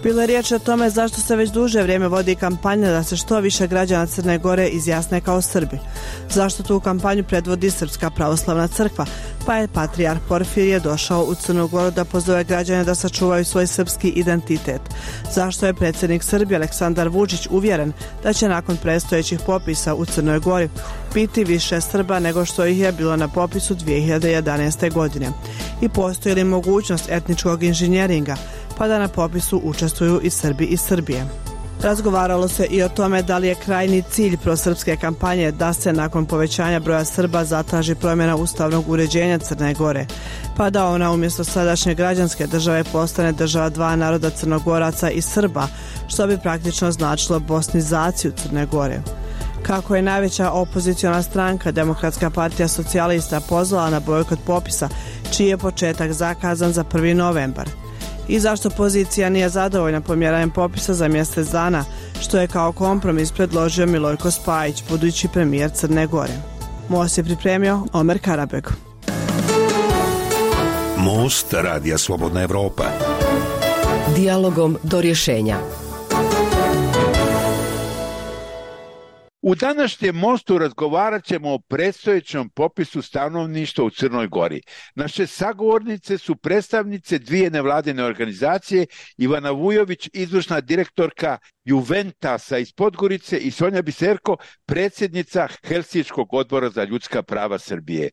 Bilo je riječ o tome zašto se već duže vrijeme vodi kampanja da se što više građana Crne Gore izjasne kao Srbi. Zašto tu kampanju predvodi Srpska pravoslavna crkva, pa je patrijarh Porfirije došao u Crnu Goru da pozove građane da sačuvaju svoj srpski identitet. Zašto je predsjednik Srbije Aleksandar Vučić uvjeren da će nakon predstojećih popisa u Crnoj Gori biti više Srba nego što ih je bilo na popisu dvije hiljade jedanaeste. godine. I postoji li mogućnost etničkog inženjeringa, pa da na popisu učestvuju i Srbi iz Srbije. Razgovaralo se i o tome da li je krajnji cilj prosrpske kampanje da se nakon povećanja broja Srba zatraži promjena ustavnog uređenja Crne Gore, pa da ona umjesto sadašnje građanske države postane država dva naroda Crnogoraca i Srba, što bi praktično značilo bosnizaciju Crne Gore. Kako je najveća opoziciona stranka Demokratska partija socijalista pozvala na bojkot popisa, čiji je početak zakazan za prvi novembar. I zašto pozicija nije zadovoljna pomjeranjem popisa za mjesec dana, što je kao kompromis predložio Milojko Spajić, budući premijer Crne Gore. Most je pripremio Omer Karabeg. Most Radija Slobodna Evropa. Dijalogom do rješenja. U današnjem mostu razgovarat ćemo o predstojećem popisu stanovništva u Crnoj Gori. Naše sagovornice su predstavnice dvije nevladine organizacije, Ivana Vujović, izvršna direktorka Juventasa iz Podgorice, i Sonja Biserko, predsjednica Helsinškog odbora za ljudska prava Srbije.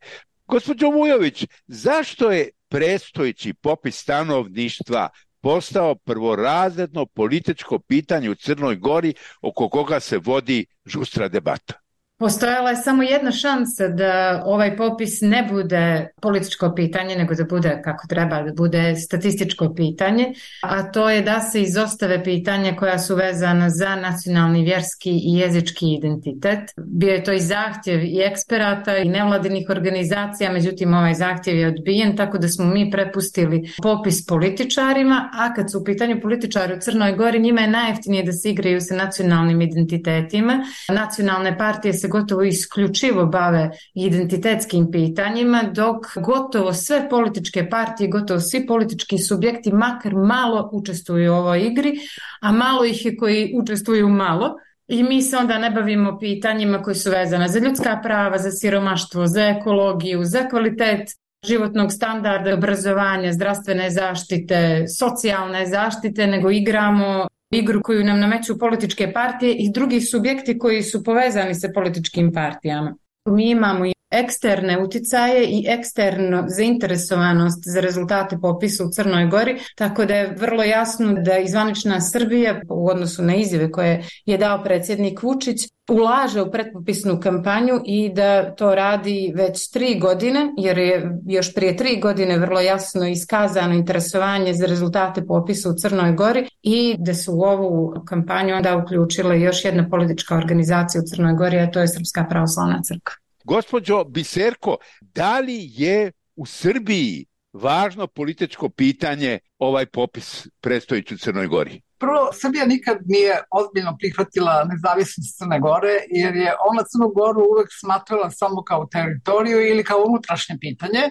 Gospođo Vujović, zašto je predstojeći popis stanovništva postao prvorazredno političko pitanje u Crnoj Gori oko koga se vodi žustra debata? Postojala je samo jedna šansa da ovaj popis ne bude političko pitanje, nego da bude kako treba, da bude statističko pitanje, a to je da se izostave pitanja koja su vezana za nacionalni, vjerski i jezički identitet. Bio je to i zahtjev i eksperata i nevladinih organizacija, međutim ovaj zahtjev je odbijen, tako da smo mi prepustili popis političarima, a kad su u pitanju političari u Crnoj Gori, njima je najjeftinije da se igraju sa nacionalnim identitetima. Nacionalne partije se gotovo isključivo bave identitetskim pitanjima, dok gotovo sve političke partije, gotovo svi politički subjekti makar malo učestvuju u ovoj igri, a malo ih je koji učestvuju malo. I mi se onda ne bavimo pitanjima koji su vezane za ljudska prava, za siromaštvo, za ekologiju, za kvalitet životnog standarda, obrazovanja, zdravstvene zaštite, socijalne zaštite, nego igramo igru koju nam nameću političke partije i drugi subjekti koji su povezani sa političkim partijama. Mi imamo i eksterne uticaje i eksternu zainteresovanost za rezultate popisa u Crnoj Gori, tako da je vrlo jasno da izvanična Srbija u odnosu na izjave koje je dao predsjednik Vučić ulaže u pretpopisnu kampanju i da to radi već tri godine, jer je još prije tri godine vrlo jasno iskazano interesovanje za rezultate popisa u Crnoj Gori i da su u ovu kampanju onda uključila još jedna politička organizacija u Crnoj Gori, a to je Srpska pravoslavna crkva. Gospođo Biserko, da li je u Srbiji važno političko pitanje ovaj popis predstojeći u Crnoj Gori? Prvo, Srbija nikad nije ozbiljno prihvatila nezavisnost Crne Gore, jer je ona Crnu Goru uvek smatrala samo kao teritoriju ili kao unutrašnje pitanje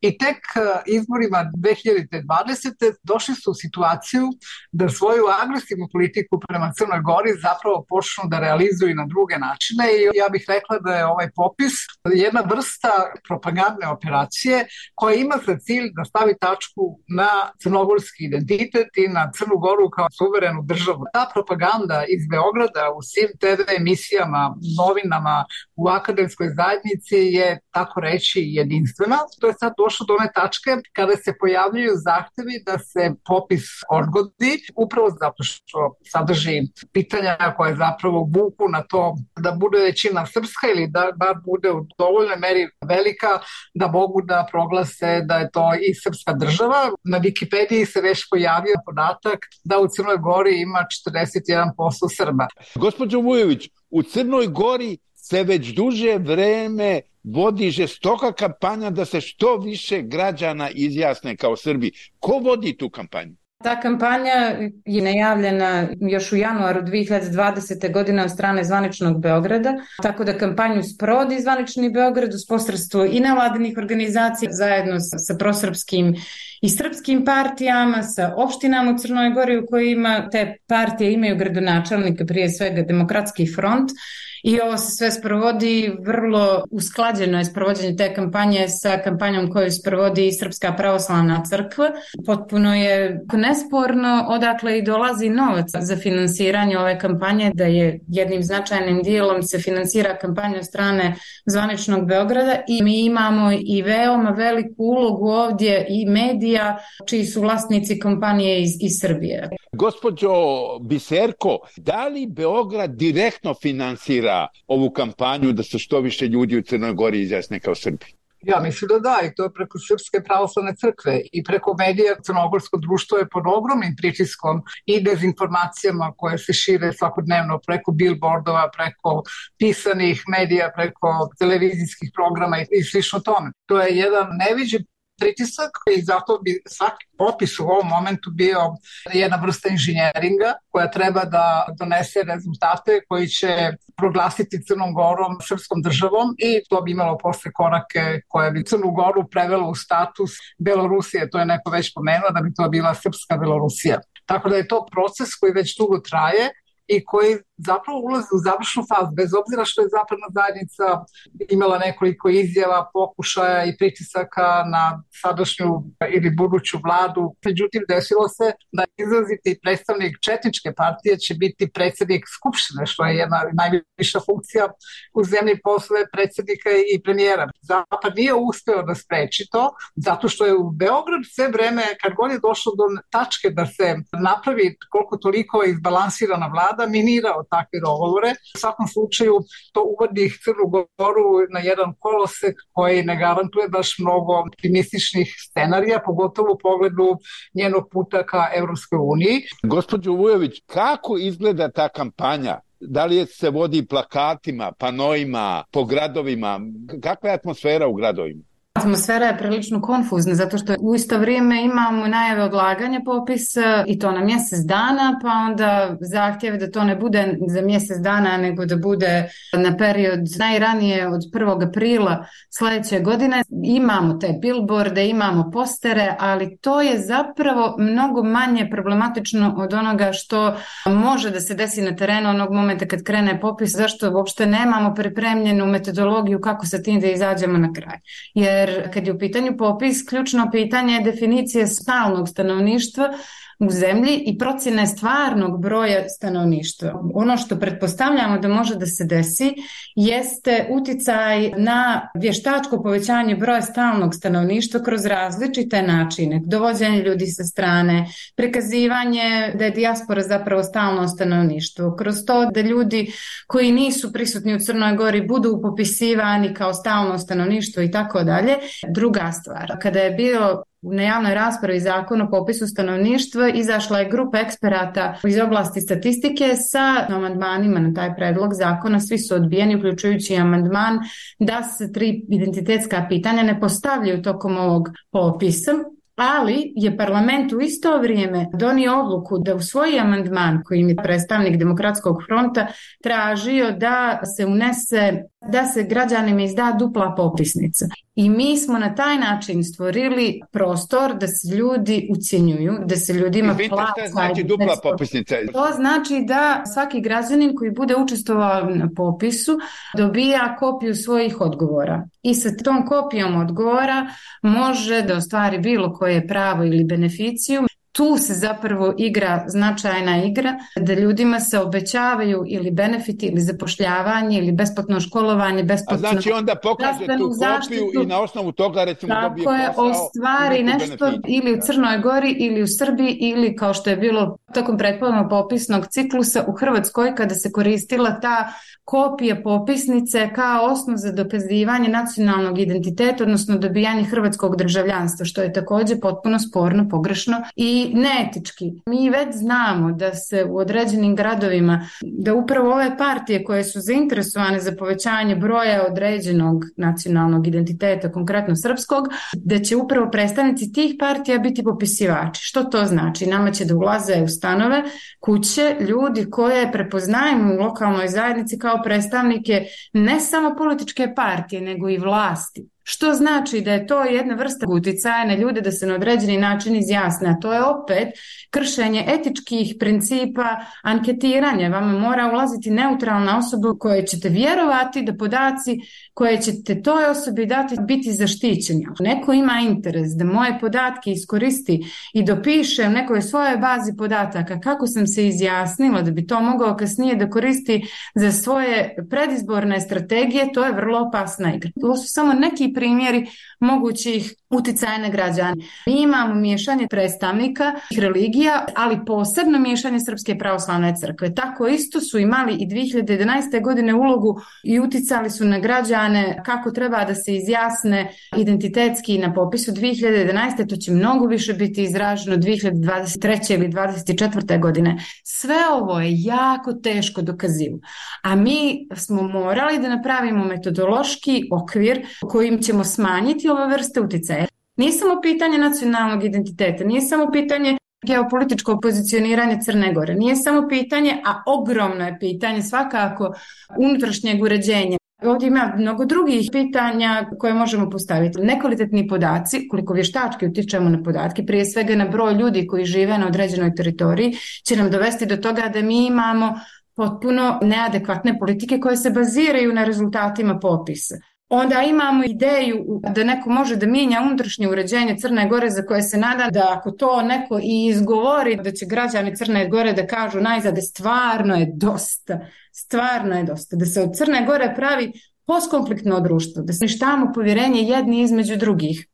i tek izborima dve hiljade dvadesete. došli su u situaciju da svoju agresivnu politiku prema Crnoj Gori zapravo počnu da realizuju na druge načine i ja bih rekla da je ovaj popis jedna vrsta propagandne operacije koja ima za cilj da stavi tačku na crnogorski identitet i na Crnu Goru kao suverenu državu. Ta propaganda iz Beograda u svim te ve emisijama, novinama, u akademskoj zajednici je, tako reći, jedinstvena. To je sad došlo do one tačke kada se pojavljuju zahtevi da se popis odgodi, upravo zato što sadrži pitanja koje zapravo vuku na to da bude većina srpska ili da, da bude u dovoljnoj meri velika da mogu da proglase da je to i srpska država. Na Wikipediji se već pojavio podatak da u Crnoj Gori ima četrdeset jedan posto Srba. Gospođo Vujović, u Crnoj Gori se već duže vreme vodi žestoka kampanja da se što više građana izjasne kao Srbi. Ko vodi tu kampanju? Ta kampanja je najavljena još u januaru dve hiljade dvadesete. godine od strane zvaničnog Beograda, tako da kampanju sprovodi zvanični Beograd uz posredstvo i nevladinih organizacija zajedno sa, sa prosrpskim i srpskim partijama, sa opštinama u Crnoj Gori u kojima te partije imaju gradonačelnika, prije svega Demokratski front. I ovo se sve sprovodi vrlo usklađeno je sprovođenje te kampanje sa kampanjom koju sprovodi i Srpska pravoslavna crkva. Potpuno je nesporno odakle i dolazi novac za finansiranje ove kampanje, da je jednim značajnim dijelom se finansira kampanja od strane zvaničnog Beograda i mi imamo i veoma veliku ulogu ovdje i medija čiji su vlasnici kompanije iz, iz Srbije. Gospođo Biserko, da li Beograd direktno finansira ovu kampanju da se što više ljudi u Crnoj Gori izjasne kao Srbi? Ja mislim da da, i to je preko Srpske pravoslavne crkve i preko medija. Crnogorsko društvo je pod ogromnim pritiskom i dezinformacijama koje se šire svakodnevno preko billboardova, preko pisanih medija, preko televizijskih programa i slično tome. To je jedan neviđen pritisak i zato bi svaki popis u ovom momentu bio jedna vrsta inženjeringa koja treba da donese rezultate koji će proglasiti Crnom Gorom srpskom državom i to bi imalo posle korake koje bi Crnu Goru prevelo u status Belorusije, to je neko već pomenuo da bi to bila srpska Belorusija. Tako da je to proces koji već dugo traje i koji zapravo ulazi u završnu fazu, bez obzira što je zapadna zajednica imala nekoliko izjava, pokušaja i pritisaka na sadašnju ili buduću vladu. Međutim, desilo se da izraziti predstavnik četničke partije će biti predsjednik Skupštine, što je jedna najviša funkcija u zemlji posle predsjednika i premijera. Zapad nije uspeo da spreči to, zato što je u Beograd sve vreme, kad god je došlo do tačke da se napravi koliko toliko izbalansirana vlada, minirao takve dogovore. U svakom slučaju to uvodi Crnu Goru na jedan kolosek koji ne garantuje baš mnogo optimističnih scenarija, pogotovo u pogledu njenog puta ka Evropskoj uniji. Gospođo Vujović, kako izgleda ta kampanja? Da li se vodi plakatima, panoima, po gradovima? Kakva je atmosfera u gradovima? Atmosfera je prilično konfuzna zato što u isto vrijeme imamo najave odlaganja popisa i to na mjesec dana, pa onda zahtjeve da to ne bude za mjesec dana nego da bude na period najranije od prvog aprila sljedeće godine. Imamo te billboarde, imamo postere, ali to je zapravo mnogo manje problematično od onoga što može da se desi na terenu onog momenta kad krene popis, zašto uopšte nemamo pripremljenu metodologiju kako sa tim da izađemo na kraj. Jer kad je u pitanju popis, ključno pitanje je definicije stalnog stanovništva u zemlji i procjene stvarnog broja stanovništva. Ono što pretpostavljamo da može da se desi jeste uticaj na vještačko povećanje broja stalnog stanovništva kroz različite načine. Dovođenje ljudi sa strane, prikazivanje da je dijaspora zapravo stalno stanovništvo, kroz to da ljudi koji nisu prisutni u Crnoj Gori budu popisivani kao stalno stanovništvo i tako dalje. Druga stvar, kada je bio na javnoj raspravi zakon o popisu stanovništva izašla je grupa eksperata iz oblasti statistike sa amandmanima na taj predlog zakona. Svi su odbijeni, uključujući amandman da se tri identitetska pitanja ne postavljaju tokom ovog popisa. ali je parlament u isto vrijeme donio odluku da usvoji amandman kojim je predstavnik Demokratskog fronta tražio da se unese, da se građanima izda dupla popisnica. I mi smo na taj način stvorili prostor da se ljudi ucjenjuju, da se ljudima plaća. Šta znači dupla popisnica? To znači da svaki građanin koji bude učestvovao na popisu dobija kopiju svojih odgovora. I sa tom kopijom odgovora može da ostvari bilo koje pravo ili beneficiju. Tu se zapravo igra značajna igra da ljudima se obećavaju ili benefiti ili zapošljavanje ili besplatno školovanje, besplatno. A znači onda pokaže tu kopiju zaštitu, i na osnovu toga recimo dobije posao. Tako je, ostvari nešto benefit. Ili u Crnoj Gori ili u Srbiji ili kao što je bilo tokom prethodnog popisnog ciklusa u Hrvatskoj kada se koristila ta kopija popisnice kao osnov za dokazivanje nacionalnog identiteta, odnosno dobijanje hrvatskog državljanstva, što je također potpuno sporno, pogrešno i neetički. Mi već znamo da se u određenim gradovima, da upravo ove partije koje su zainteresovane za povećanje broja određenog nacionalnog identiteta, konkretno srpskog, da će upravo predstavnici tih partija biti popisivači. Što to znači? Nama će da ulaze u stanove, kuće, ljudi koje prepoznajemo u lokalnoj zajednici kao predstavnike ne samo političke partije, nego i vlasti. Što znači da je to jedna vrsta uticaja na ljude da se na određeni način izjasne, a to je opet kršenje etičkih principa anketiranja. Vama mora ulaziti neutralna osoba kojoj ćete vjerovati da podaci koje ćete toj osobi dati biti zaštićeni. Ako neko ima interes da moje podatke iskoristi i dopiše u nekoj svojoj bazi podataka kako sam se izjasnila da bi to mogao kasnije da koristi za svoje predizborne strategije, to je vrlo opasna igra. To su samo neki primjeri mogućih uticaja na građane. Mi imamo miješanje predstavnika religija, ali posebno miješanje Srpske pravoslavne crkve. Tako isto su imali i dvije hiljade jedanaeste. godine ulogu i uticali su na građane kako treba da se izjasne identitetski na popisu dvije hiljade jedanaeste. To će mnogo više biti izraženo dvije hiljade dvadeset treće. ili dvadeset četvrte. godine. Sve ovo je jako teško dokazivo. A mi smo morali da napravimo metodološki okvir kojim ćemo smanjiti ove vrste uticaja. Nije samo pitanje nacionalnog identiteta, nije samo pitanje geopolitičkog pozicioniranja Crne Gore, nije samo pitanje, a ogromno je pitanje svakako unutrašnjeg uređenja. Ovdje ima mnogo drugih pitanja koje možemo postaviti. Nekvalitetni podaci, koliko vještački utičemo na podatke, prije svega na broj ljudi koji žive na određenoj teritoriji, će nam dovesti do toga da mi imamo potpuno neadekvatne politike koje se baziraju na rezultatima popisa. Onda imamo ideju da neko može da mijenja unutrašnje uređenje Crne Gore za koje se nada da ako to neko i izgovori da će građani Crne Gore da kažu najzade stvarno je dosta, stvarno je dosta. Da se od Crne Gore pravi postkonfliktno društvo, da se uništavamo povjerenje jedni između drugih.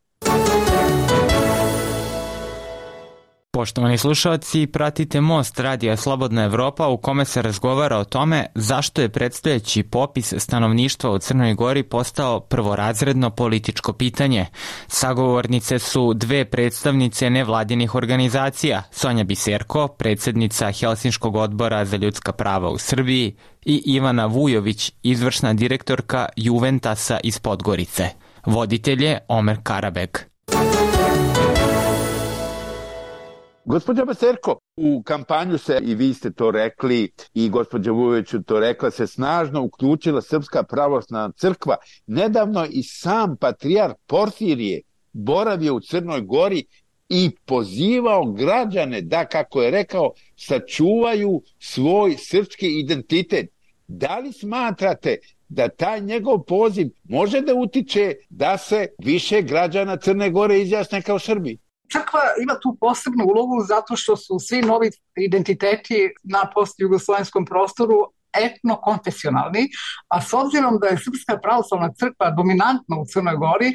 Poštovani slušalci, pratite Most Radija Slobodna Evropa u kome se razgovara o tome zašto je predstojeći popis stanovništva u Crnoj Gori postao prvorazredno političko pitanje. Sagovornice su dve predstavnice nevladinih organizacija, Sonja Biserko, predsjednica Helsinškog odbora za ljudska prava u Srbiji, i Ivana Vujović, izvršna direktorka Juventasa iz Podgorice. Voditelj je Omer Karabeg. Gospođa Biserko, u kampanju se, i vi ste to rekli, i gospođa Vujović to rekla, se snažno uključila Srpska pravoslavna crkva. Nedavno i sam patrijarh Porfirije boravio u Crnoj Gori i pozivao građane da, kako je rekao, sačuvaju svoj srpski identitet. Da li smatrate da taj njegov poziv može da utiče da se više građana Crne Gore izjasne kao Srbi? Crkva ima tu posebnu ulogu zato što su svi novi identiteti na postjugoslovenskom prostoru etno-konfesionalni, a s obzirom da je Srpska pravoslavna crkva dominantna u Crnoj Gori,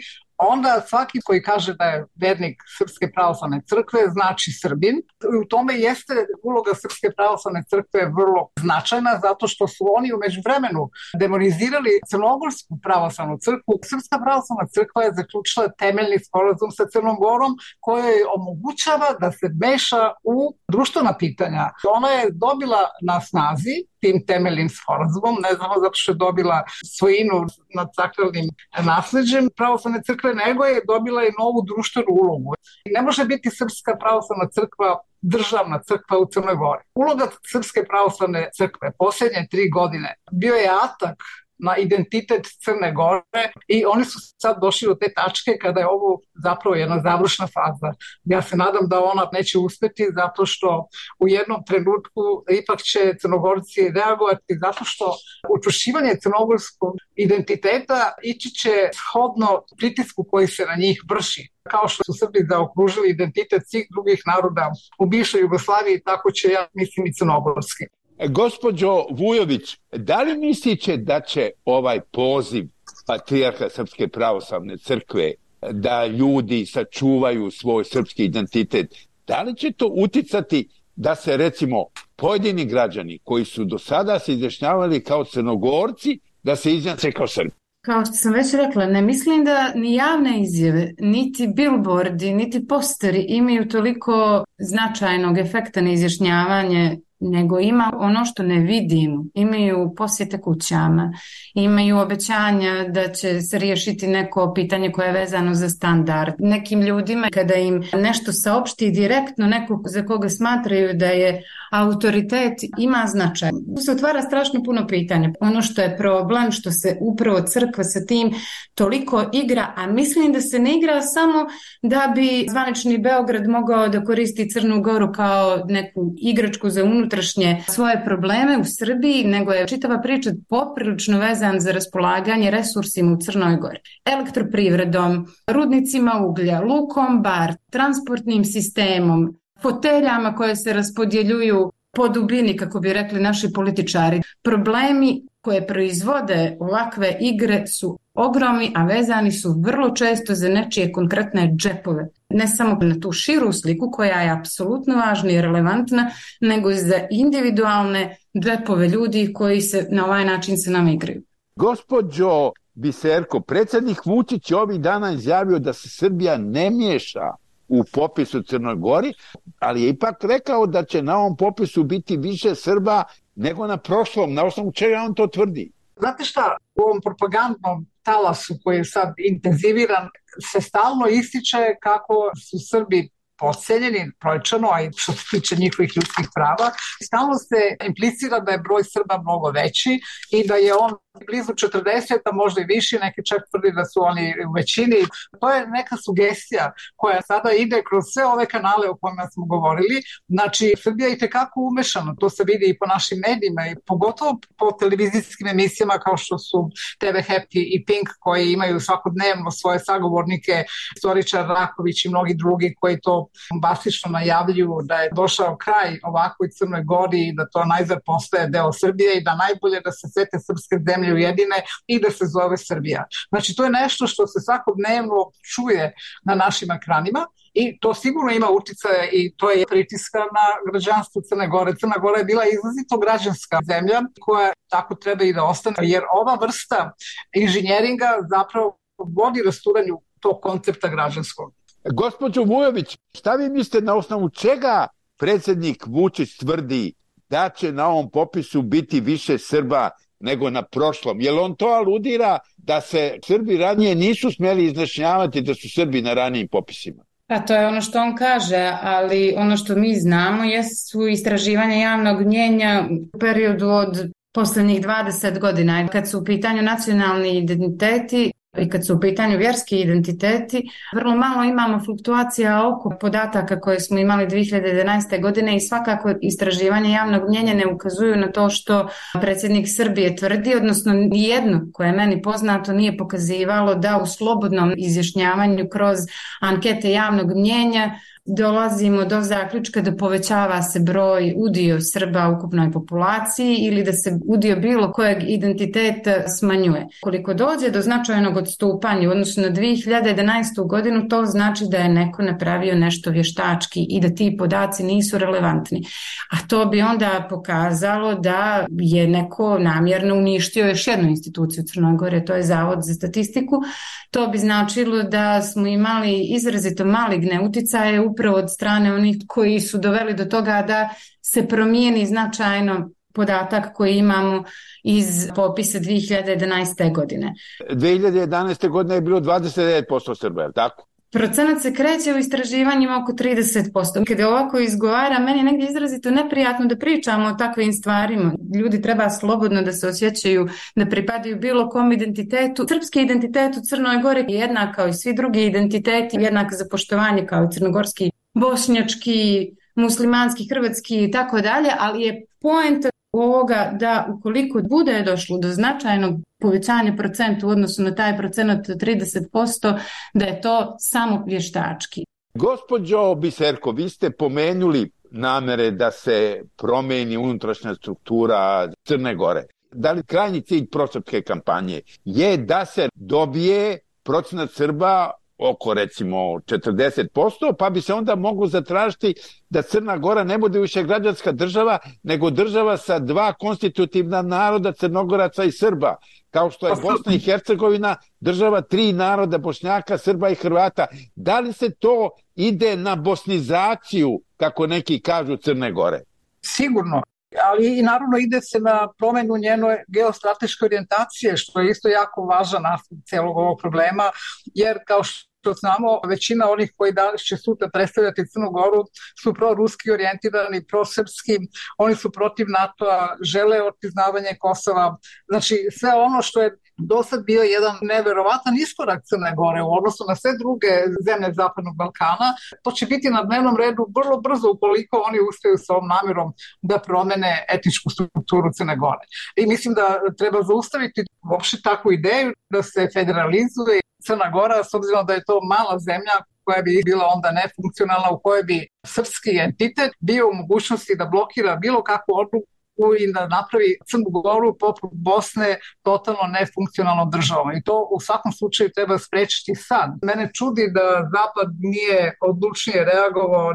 onda svaki koji kaže da je vernik Srpske pravoslavne crkve znači Srbin. U tome jeste uloga Srpske pravoslavne crkve vrlo značajna zato što su oni u međuvremenu demonizirali Crnogorsku pravoslavnu crkvu. Srpska pravoslavna crkva je zaključila temeljni sporazum sa Crnom Gorom koji omogućava da se meša u društvena pitanja. Ona je dobila na snazi tim temeljnim sporazumom, ne znamo zato što je dobila svojinu nad sakralnim nasleđem pravoslavne crkve, nego je dobila i novu društvenu ulogu. Ne može biti Srpska pravoslavna crkva državna crkva u Crnoj Gori. Uloga Srpske pravoslavne crkve posljednje tri godine bio je atak na identitet Crne Gore i oni su sad došli do te tačke kada je ovo zapravo jedna završna faza. Ja se nadam da ona neće uspjeti zato što u jednom trenutku ipak će Crnogorci reagovati zato što učvršćivanje crnogorskog identiteta ići će shodno pritisku koji se na njih vrši. Kao što su Srbi zaokružili identitet svih drugih naroda u bivšoj Jugoslaviji, tako će, ja mislim, i crnogorski. Gospođo Vujović, da li mislite da će ovaj poziv patrijarha Srpske pravoslavne crkve da ljudi sačuvaju svoj srpski identitet, da li će to uticati da se recimo pojedini građani koji su do sada se izjašnjavali kao Crnogorci, da se izjasne kao Srbi? Kao što sam već rekla, ne mislim da ni javne izjave, niti billboardi, niti posteri imaju toliko značajnog efekta na izjašnjavanje, nego ima ono što ne vidimo. Imaju posjete kućama, imaju obećanja da će se riješiti neko pitanje koje je vezano za standard. Nekim ljudima kada im nešto saopšti direktno neko za koga smatraju da je autoritet, ima značaj. Tu se otvara strašno puno pitanja. Ono što je problem, što se upravo crkva sa tim toliko igra, a mislim da se ne igra samo da bi zvanični Beograd mogao da koristi Crnu Goru kao neku igračku za unutrašnje svoje probleme u Srbiji, nego je čitava priča poprilično vezan za raspolaganje resursima u Crnoj Gori. Elektroprivredom, rudnicima uglja, lukom bar, transportnim sistemom, foteljama koje se raspodjeljuju po dubini, kako bi rekli naši političari. Problemi koje proizvode ovakve igre su ogromni, a vezani su vrlo često za nečije konkretne džepove. Ne samo na tu širu sliku koja je apsolutno važna i relevantna, nego i za individualne džepove ljudi koji se na ovaj način se nam igraju. Gospođo Biserko, predsjednik Vučić je ovih dana izjavio da se Srbija ne miješa u popisu Crnoj Gori, ali je ipak rekao da će na ovom popisu biti više Srba nego na prošlom. Na osnovu čega on to tvrdi? Znate šta, u ovom propagandnom talasu koji je sad intenziviran se stalno ističe kako su Srbi podseljeni brojčano, a i što se tiče njihovih ljudskih prava. Stalno se implicira da je broj Srba mnogo veći i da je on blizu četrdeset, a možda i viši, neki čak tvrdi da su oni u većini. To je neka sugestija koja sada ide kroz sve ove kanale o kojima smo govorili. Znači, Srbija je itekako umešana, to se vidi i po našim medijima i pogotovo po televizijskim emisijama kao što su te ve Happy i Pink, koji imaju svakodnevno svoje sagovornike, istoričar Raković i mnogi drugi koji to bombastično najavljuju da je došao kraj ovakvoj Crnoj Gori i da to najzad postaje deo Srbije i da najbolje da se sve te srpske zemlje ujedine i da se zove Srbija. Znači, to je nešto što se svakodnevno čuje na našim ekranima i to sigurno ima uticaja i to je pritiska na građanstvo Crne Gore. Crna Gora je bila izrazito građanska zemlja koja tako treba i da ostane, jer ova vrsta inženjeringa zapravo vodi rasturanju tog koncepta građanskog. Gospođo Vujović, šta vi mislite na osnovu čega predsjednik Vučić tvrdi da će na ovom popisu biti više Srba nego na prošlom? Jel on to aludira da se Srbi ranije nisu smjeli izjašnjavati da su Srbi na ranijim popisima? Pa to je ono što on kaže, ali ono što mi znamo jesu istraživanja javnog mnijenja u periodu od posljednjih dvadeset godina. Kad su u pitanju nacionalni identiteti i kad su u pitanju vjerski identiteti, vrlo malo imamo fluktuacija oko podataka koje smo imali dvije hiljade jedanaeste. godine i svakako istraživanje javnog mnijenja ne ukazuju na to što predsjednik Srbije tvrdi, odnosno nijedno koje je meni poznato nije pokazivalo da u slobodnom izjašnjavanju kroz ankete javnog mnijenja dolazimo do zaključka da povećava se broj udio Srba u ukupnoj populaciji ili da se udio bilo kojeg identiteta smanjuje. Koliko dođe do značajnog odstupanja, odnosno na dvije hiljade jedanaestu. godinu, to znači da je neko napravio nešto vještački i da ti podaci nisu relevantni. A to bi onda pokazalo da je neko namjerno uništio još jednu instituciju Crnoj Gore, to je Zavod za statistiku. To bi značilo da smo imali izrazito maligne uticaje upravo od strane onih koji su doveli do toga da se promijeni značajno podatak koji imamo iz popisa dvije hiljade jedanaeste. godine. dvije hiljade jedanaeste. godine je bilo dvadeset devet posto Srba, je li tako? Procenat se kreće u istraživanjima oko trideset posto. Kada ovako izgovara, meni je negdje izrazito neprijatno da pričamo o takvim stvarima. Ljudi treba slobodno da se osjećaju da pripadaju bilo kom identitetu. Srpski identitet u Crnoj Gori je jednak kao i svi drugi identiteti, jednak za poštovanje kao i crnogorski, bošnjački, muslimanski, hrvatski i tako dalje, ali je poenta ovoga da ukoliko bude došlo do značajnog povećanja procentu u odnosu na taj procenat od trideset posto, da je to samo vještački. Gospođo Biserko, vi ste pomenuli namere da se promeni unutrašnja struktura Crne Gore. Da li krajnji cilj prosrpske kampanje je da se dobije procenat Srba oko recimo četrdeset posto, pa bi se onda moglo zatražiti da Crna Gora ne bude više građanska država, nego država sa dva konstitutivna naroda, Crnogoraca i Srba, kao što je Bosna i Hercegovina, država tri naroda, Bošnjaka, Srba i Hrvata. Da li se to ide na bosnizaciju, kako neki kažu, Crne Gore? Sigurno. Ali i naravno ide se na promjenu njene geostrateške orijentacije, što je isto jako važan aspekt celog ovog problema, jer kao što što znamo, većina onih koji danas će sutra predstavljati Crnu Goru su proruski orijentirani, prosrpski, oni su protiv NATO-a, žele otpriznavanje Kosova. Znači sve ono što je do sad bio jedan neverovatan iskorak Crne Gore u odnosu na sve druge zemlje Zapadnog Balkana, to će biti na dnevnom redu vrlo brzo ukoliko oni uspiju sa ovom namjerom da promene etničku strukturu Crne Gore. I mislim da treba zaustaviti uopšte takvu ideju da se federalizuje Crna Gora, s obzirom da je to mala zemlja koja bi bila onda nefunkcionalna, u kojoj bi srpski entitet bio u mogućnosti da blokira bilo kakvu odluku i da napravi Crnu Goru poput Bosne totalno nefunkcionalnom državom. I to u svakom slučaju treba sprečiti sad. Mene čudi da Zapad nije odlučnije reagovao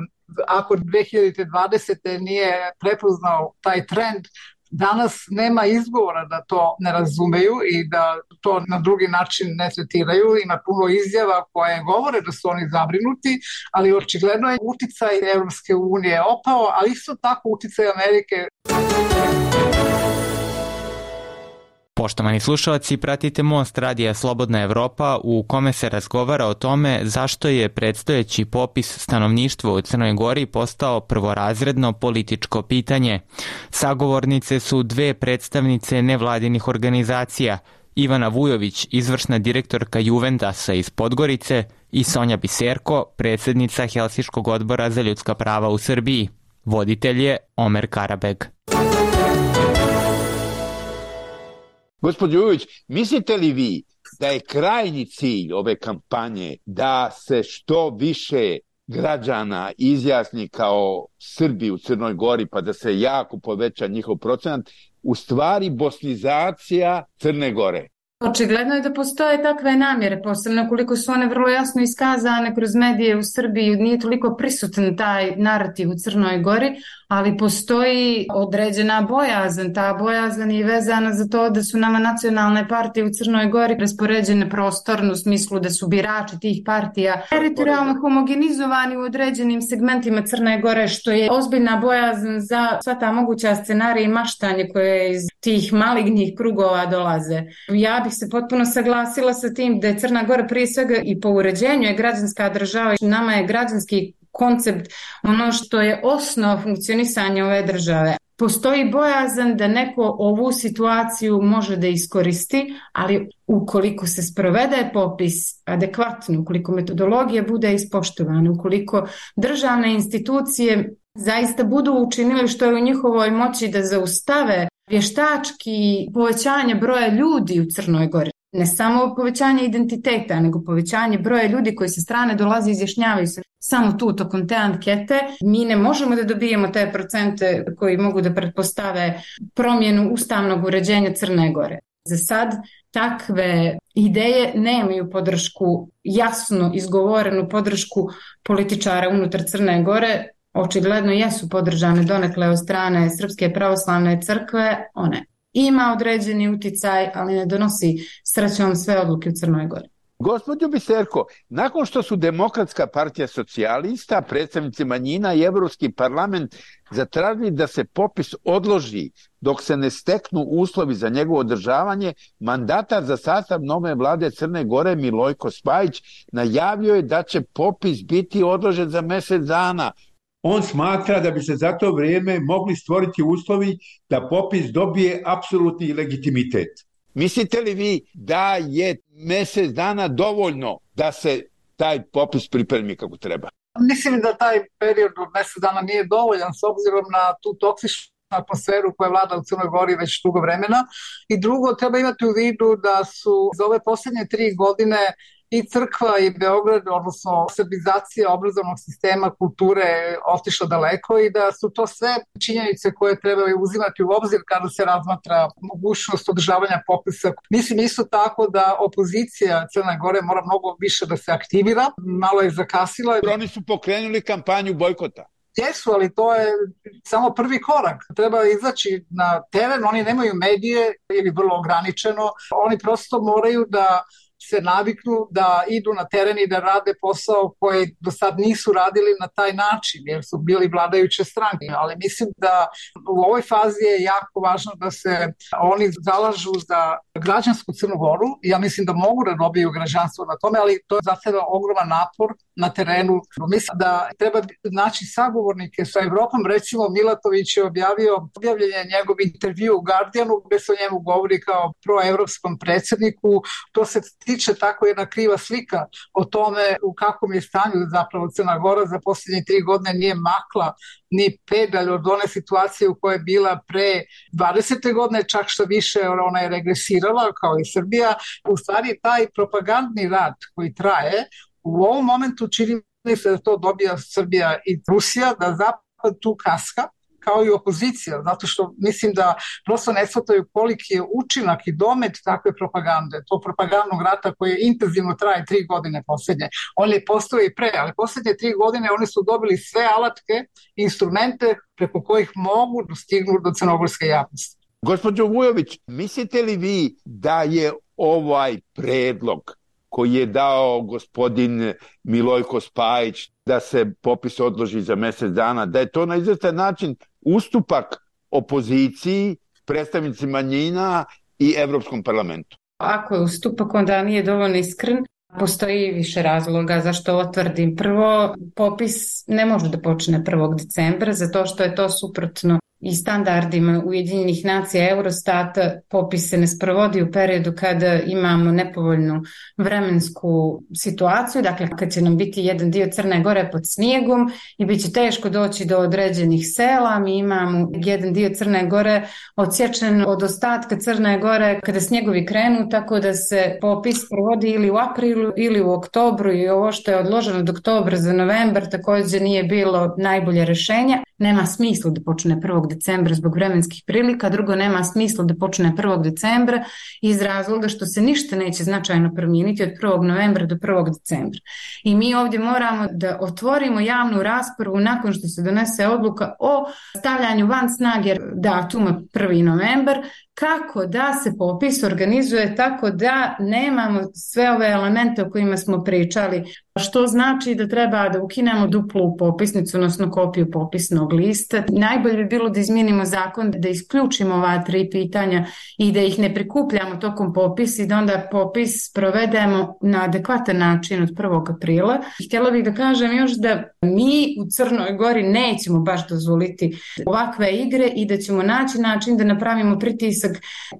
ako dve hiljade dvadesete. nije prepoznao taj trend. Danas nema izgovora da to ne razumeju i da to na drugi način ne tretiraju. Ima puno izjava koje govore da su oni zabrinuti, ali očigledno je uticaj Evropske unije opao, ali isto tako uticaj Amerike. Poštovani slušalci, pratite Most radija Slobodna Evropa u kome se razgovara o tome zašto je predstojeći popis stanovništva u Crnoj Gori postao prvorazredno političko pitanje. Sagovornice su dve predstavnice nevladinih organizacija, Ivana Vujović, izvršna direktorka Juventasa iz Podgorice, i Sonja Biserko, predsjednica Helsinškog odbora za ljudska prava u Srbiji. Voditelj je Omer Karabeg. Gospođo Vujović, mislite li vi da je krajnji cilj ove kampanje da se što više građana izjasni kao Srbi u Crnoj Gori, pa da se jako poveća njihov procenat, u stvari bosnizacija Crne Gore? Očigledno je da postoje takve namjere, posebno koliko su one vrlo jasno iskazane kroz medije u Srbiji, nije toliko prisutan taj narativ u Crnoj Gori, ali postoji određena bojazan. Ta bojazan je vezana za to da su nama nacionalne partije u Crnoj Gori raspoređene prostorno u smislu da su birači tih partija teritorijalno homogenizovani u određenim segmentima Crne Gore, što je ozbiljna bojazan za sva ta moguća scenarija i maštanje koje iz tih malignih krugova dolaze. Ja bih se potpuno saglasila sa tim da je Crna Gora prije svega i po uređenju je građanska država. Nama je građanski koncept ono što je osnova funkcionisanja ove države. Postoji bojazan da neko ovu situaciju može da iskoristi, ali ukoliko se sprovede popis adekvatno, ukoliko metodologija bude ispoštovana, ukoliko državne institucije zaista budu učinili što je u njihovoj moći da zaustave vještački povećanje broja ljudi u Crnoj Gori. Ne samo povećanje identiteta, nego povećanje broja ljudi koji sa strane dolaze i izjašnjavaju se samo tu tokom te ankete. Mi ne možemo da dobijemo te procente koji mogu da pretpostave promjenu ustavnog uređenja Crne Gore. Za sad takve ideje nemaju podršku, jasno izgovorenu podršku političara unutar Crne Gore. Očigledno jesu podržane donekle od strane Srpske pravoslavne crkve, one ima određeni uticaj, ali ne donosi srećom sve odluke u Crnoj Gori. Gospođo Biserko, nakon što su Demokratska partija socijalista, predstavnici manjina i Evropski parlament zatražili da se popis odloži dok se ne steknu uslovi za njegovo održavanje, mandatar za sastav nove vlade Crne Gore Milojko Spajić najavio je da će popis biti odložen za mjesec dana. On smatra da bi se za to vrijeme mogli stvoriti uslovi da popis dobije apsolutni legitimitet. Mislite li vi da je mjesec dana dovoljno da se taj popis pripremi kako treba? Mislim da taj period od mjesec dana nije dovoljan s obzirom na tu toksičnu atmosferu koja vlada u Crnoj Gori već dugo vremena. I drugo, treba imati u vidu da su za ove posljednje tri godine i crkva i Beograd, odnosno srbizacija obrazovnog sistema kulture otišla daleko i da su to sve činjenice koje trebaju uzimati u obzir kada se razmatra mogućnost održavanja popisa. Mislim isto tako da opozicija Crne Gore mora mnogo više da se aktivira, malo je zakasila. Oni su pokrenuli kampanju bojkota. Jesu, ali to je samo prvi korak. Treba izaći na teren, oni nemaju medije ili vrlo ograničeno, oni prosto moraju da se naviknu da idu na teren i da rade posao koji do sad nisu radili na taj način, jer su bili vladajuće stranke. Ali mislim da u ovoj fazi je jako važno da se oni zalažu za građansku Crnu Goru. Ja mislim da mogu da dobiju građanstvo na tome, ali to je zahteva ogroman napor na terenu. Mislim da treba naći sagovornike sa Evropom. Recimo Milatović je objavio, objavljen je njegov intervju u Guardianu gdje se o njemu govori kao proevropskom predsjedniku. To se tiče tako jedna kriva slika o tome u kakvom je stanju zapravo Crna Gora. Za posljednje tri godine nije makla ni pedalj od one situacije u kojoj je bila pre dvadesete godine, čak što više ona je regresirala kao i Srbija. U stvari taj propagandni rad koji traje u ovom momentu čini se da to dobija Srbija i Rusija, da zapad tu kaska kao i opozicija, zato što mislim da prosto ne shvataju koliki je učinak i domet takve propagande, to propagandnog rata koji intenzivno traje tri godine posljednje. On je postoji i pre, ali posljednje tri godine oni su dobili sve alatke, instrumente preko kojih mogu dostignuti do crnogorske javnosti. Gospođo Vujović, mislite li vi da je ovaj predlog koji je dao gospodin Milojko Spajić da se popis odloži za mjesec dana, da je to na izvestan način ustupak opoziciji, predstavnici manjina i Evropskom parlamentu? Ako je ustupak, onda nije dovoljno iskren. Postoji više razloga zašto ovo tvrdim. Prvo, popis ne može da počne prvog decembra, zato što je to suprotno i standardima Ujedinjenih nacija Eurostata. Popis se ne sprovodi u periodu kada imamo nepovoljnu vremensku situaciju, dakle kad će nam biti jedan dio Crne Gore pod snijegom i bit će teško doći do određenih sela. Mi imamo jedan dio Crne Gore odsječen od ostatka Crne Gore kada snjegovi krenu, tako da se popis provodi ili u aprilu ili u oktobru, i ovo što je odloženo od oktobra za novembar također nije bilo najbolje rješenje. Nema smisla da počne prvog decembra zbog vremenskih prilika, drugo nema smisla da počne prvog decembra iz razloga što se ništa neće značajno promijeniti od prvog novembra do prvog decembra. I mi ovdje moramo da otvorimo javnu raspravu nakon što se donese odluka o stavljanju van snage datuma prvi novembar, kako da se popis organizuje tako da nemamo sve ove elemente o kojima smo pričali, što znači da treba da ukinemo duplu popisnicu, odnosno kopiju popisnog lista. Najbolje bi bilo da izmijenimo zakon, da isključimo ova tri pitanja i da ih ne prikupljamo tokom popisa i da onda popis provedemo na adekvatan način od prvog aprila. Htjela bih da kažem još da mi u Crnoj Gori nećemo baš dozvoliti ovakve igre i da ćemo naći način da napravimo pritisak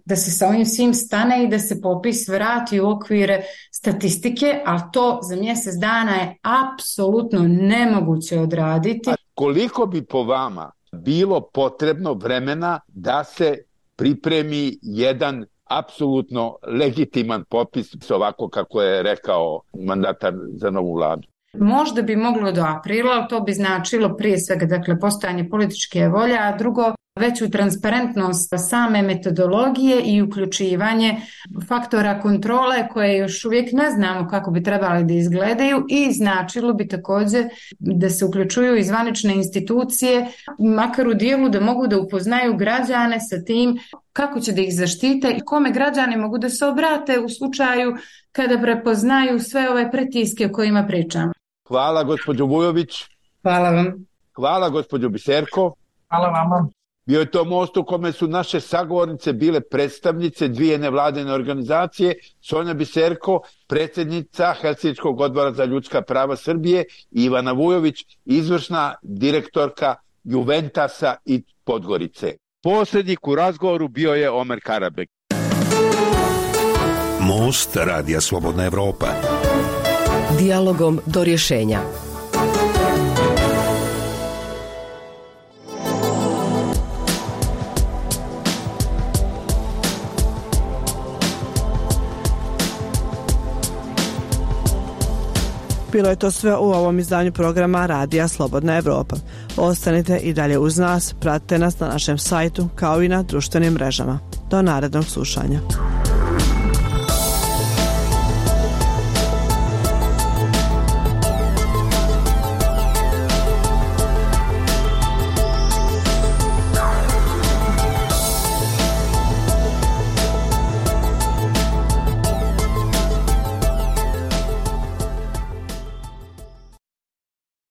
da se sa ovim svim stane i da se popis vrati u okvire statistike, ali to za mjesec dana je apsolutno nemoguće odraditi. A koliko bi po vama bilo potrebno vremena da se pripremi jedan apsolutno legitiman popis, ovako kako je rekao mandatar za novu vladu? Možda bi moglo do aprila, ali to bi značilo prije svega dakle, postojanje političke volje, a drugo veću transparentnost same metodologije i uključivanje faktora kontrole koje još uvijek ne znamo kako bi trebali da izgledaju, i značilo bi također da se uključuju i zvanične institucije, makar u dijelu da mogu da upoznaju građane sa tim kako će da ih zaštite i kome građani mogu da se obrate u slučaju kada prepoznaju sve ove pritiske o kojima pričamo. Hvala gospođo Vujović. Hvala vam. Hvala gospođo Biserko. Hvala vama. Bio je to most u kome su naše sagovornice bile predstavnice dvije nevladine organizacije, Sonja Biserko, predsjednica Helsinškog odbora za ljudska prava Srbije, i Ivana Vujović, izvršna direktorka Juventasa i Podgorice. Posljednik u razgovoru bio je Omer Karabek. Most Radija Slobodna Evropa. Dijalogom do rješenja. Bilo je to sve u ovom izdanju programa Radija Slobodna Evropa. Ostanite i dalje uz nas, pratite nas na našem sajtu kao i na društvenim mrežama. Do narednog slušanja.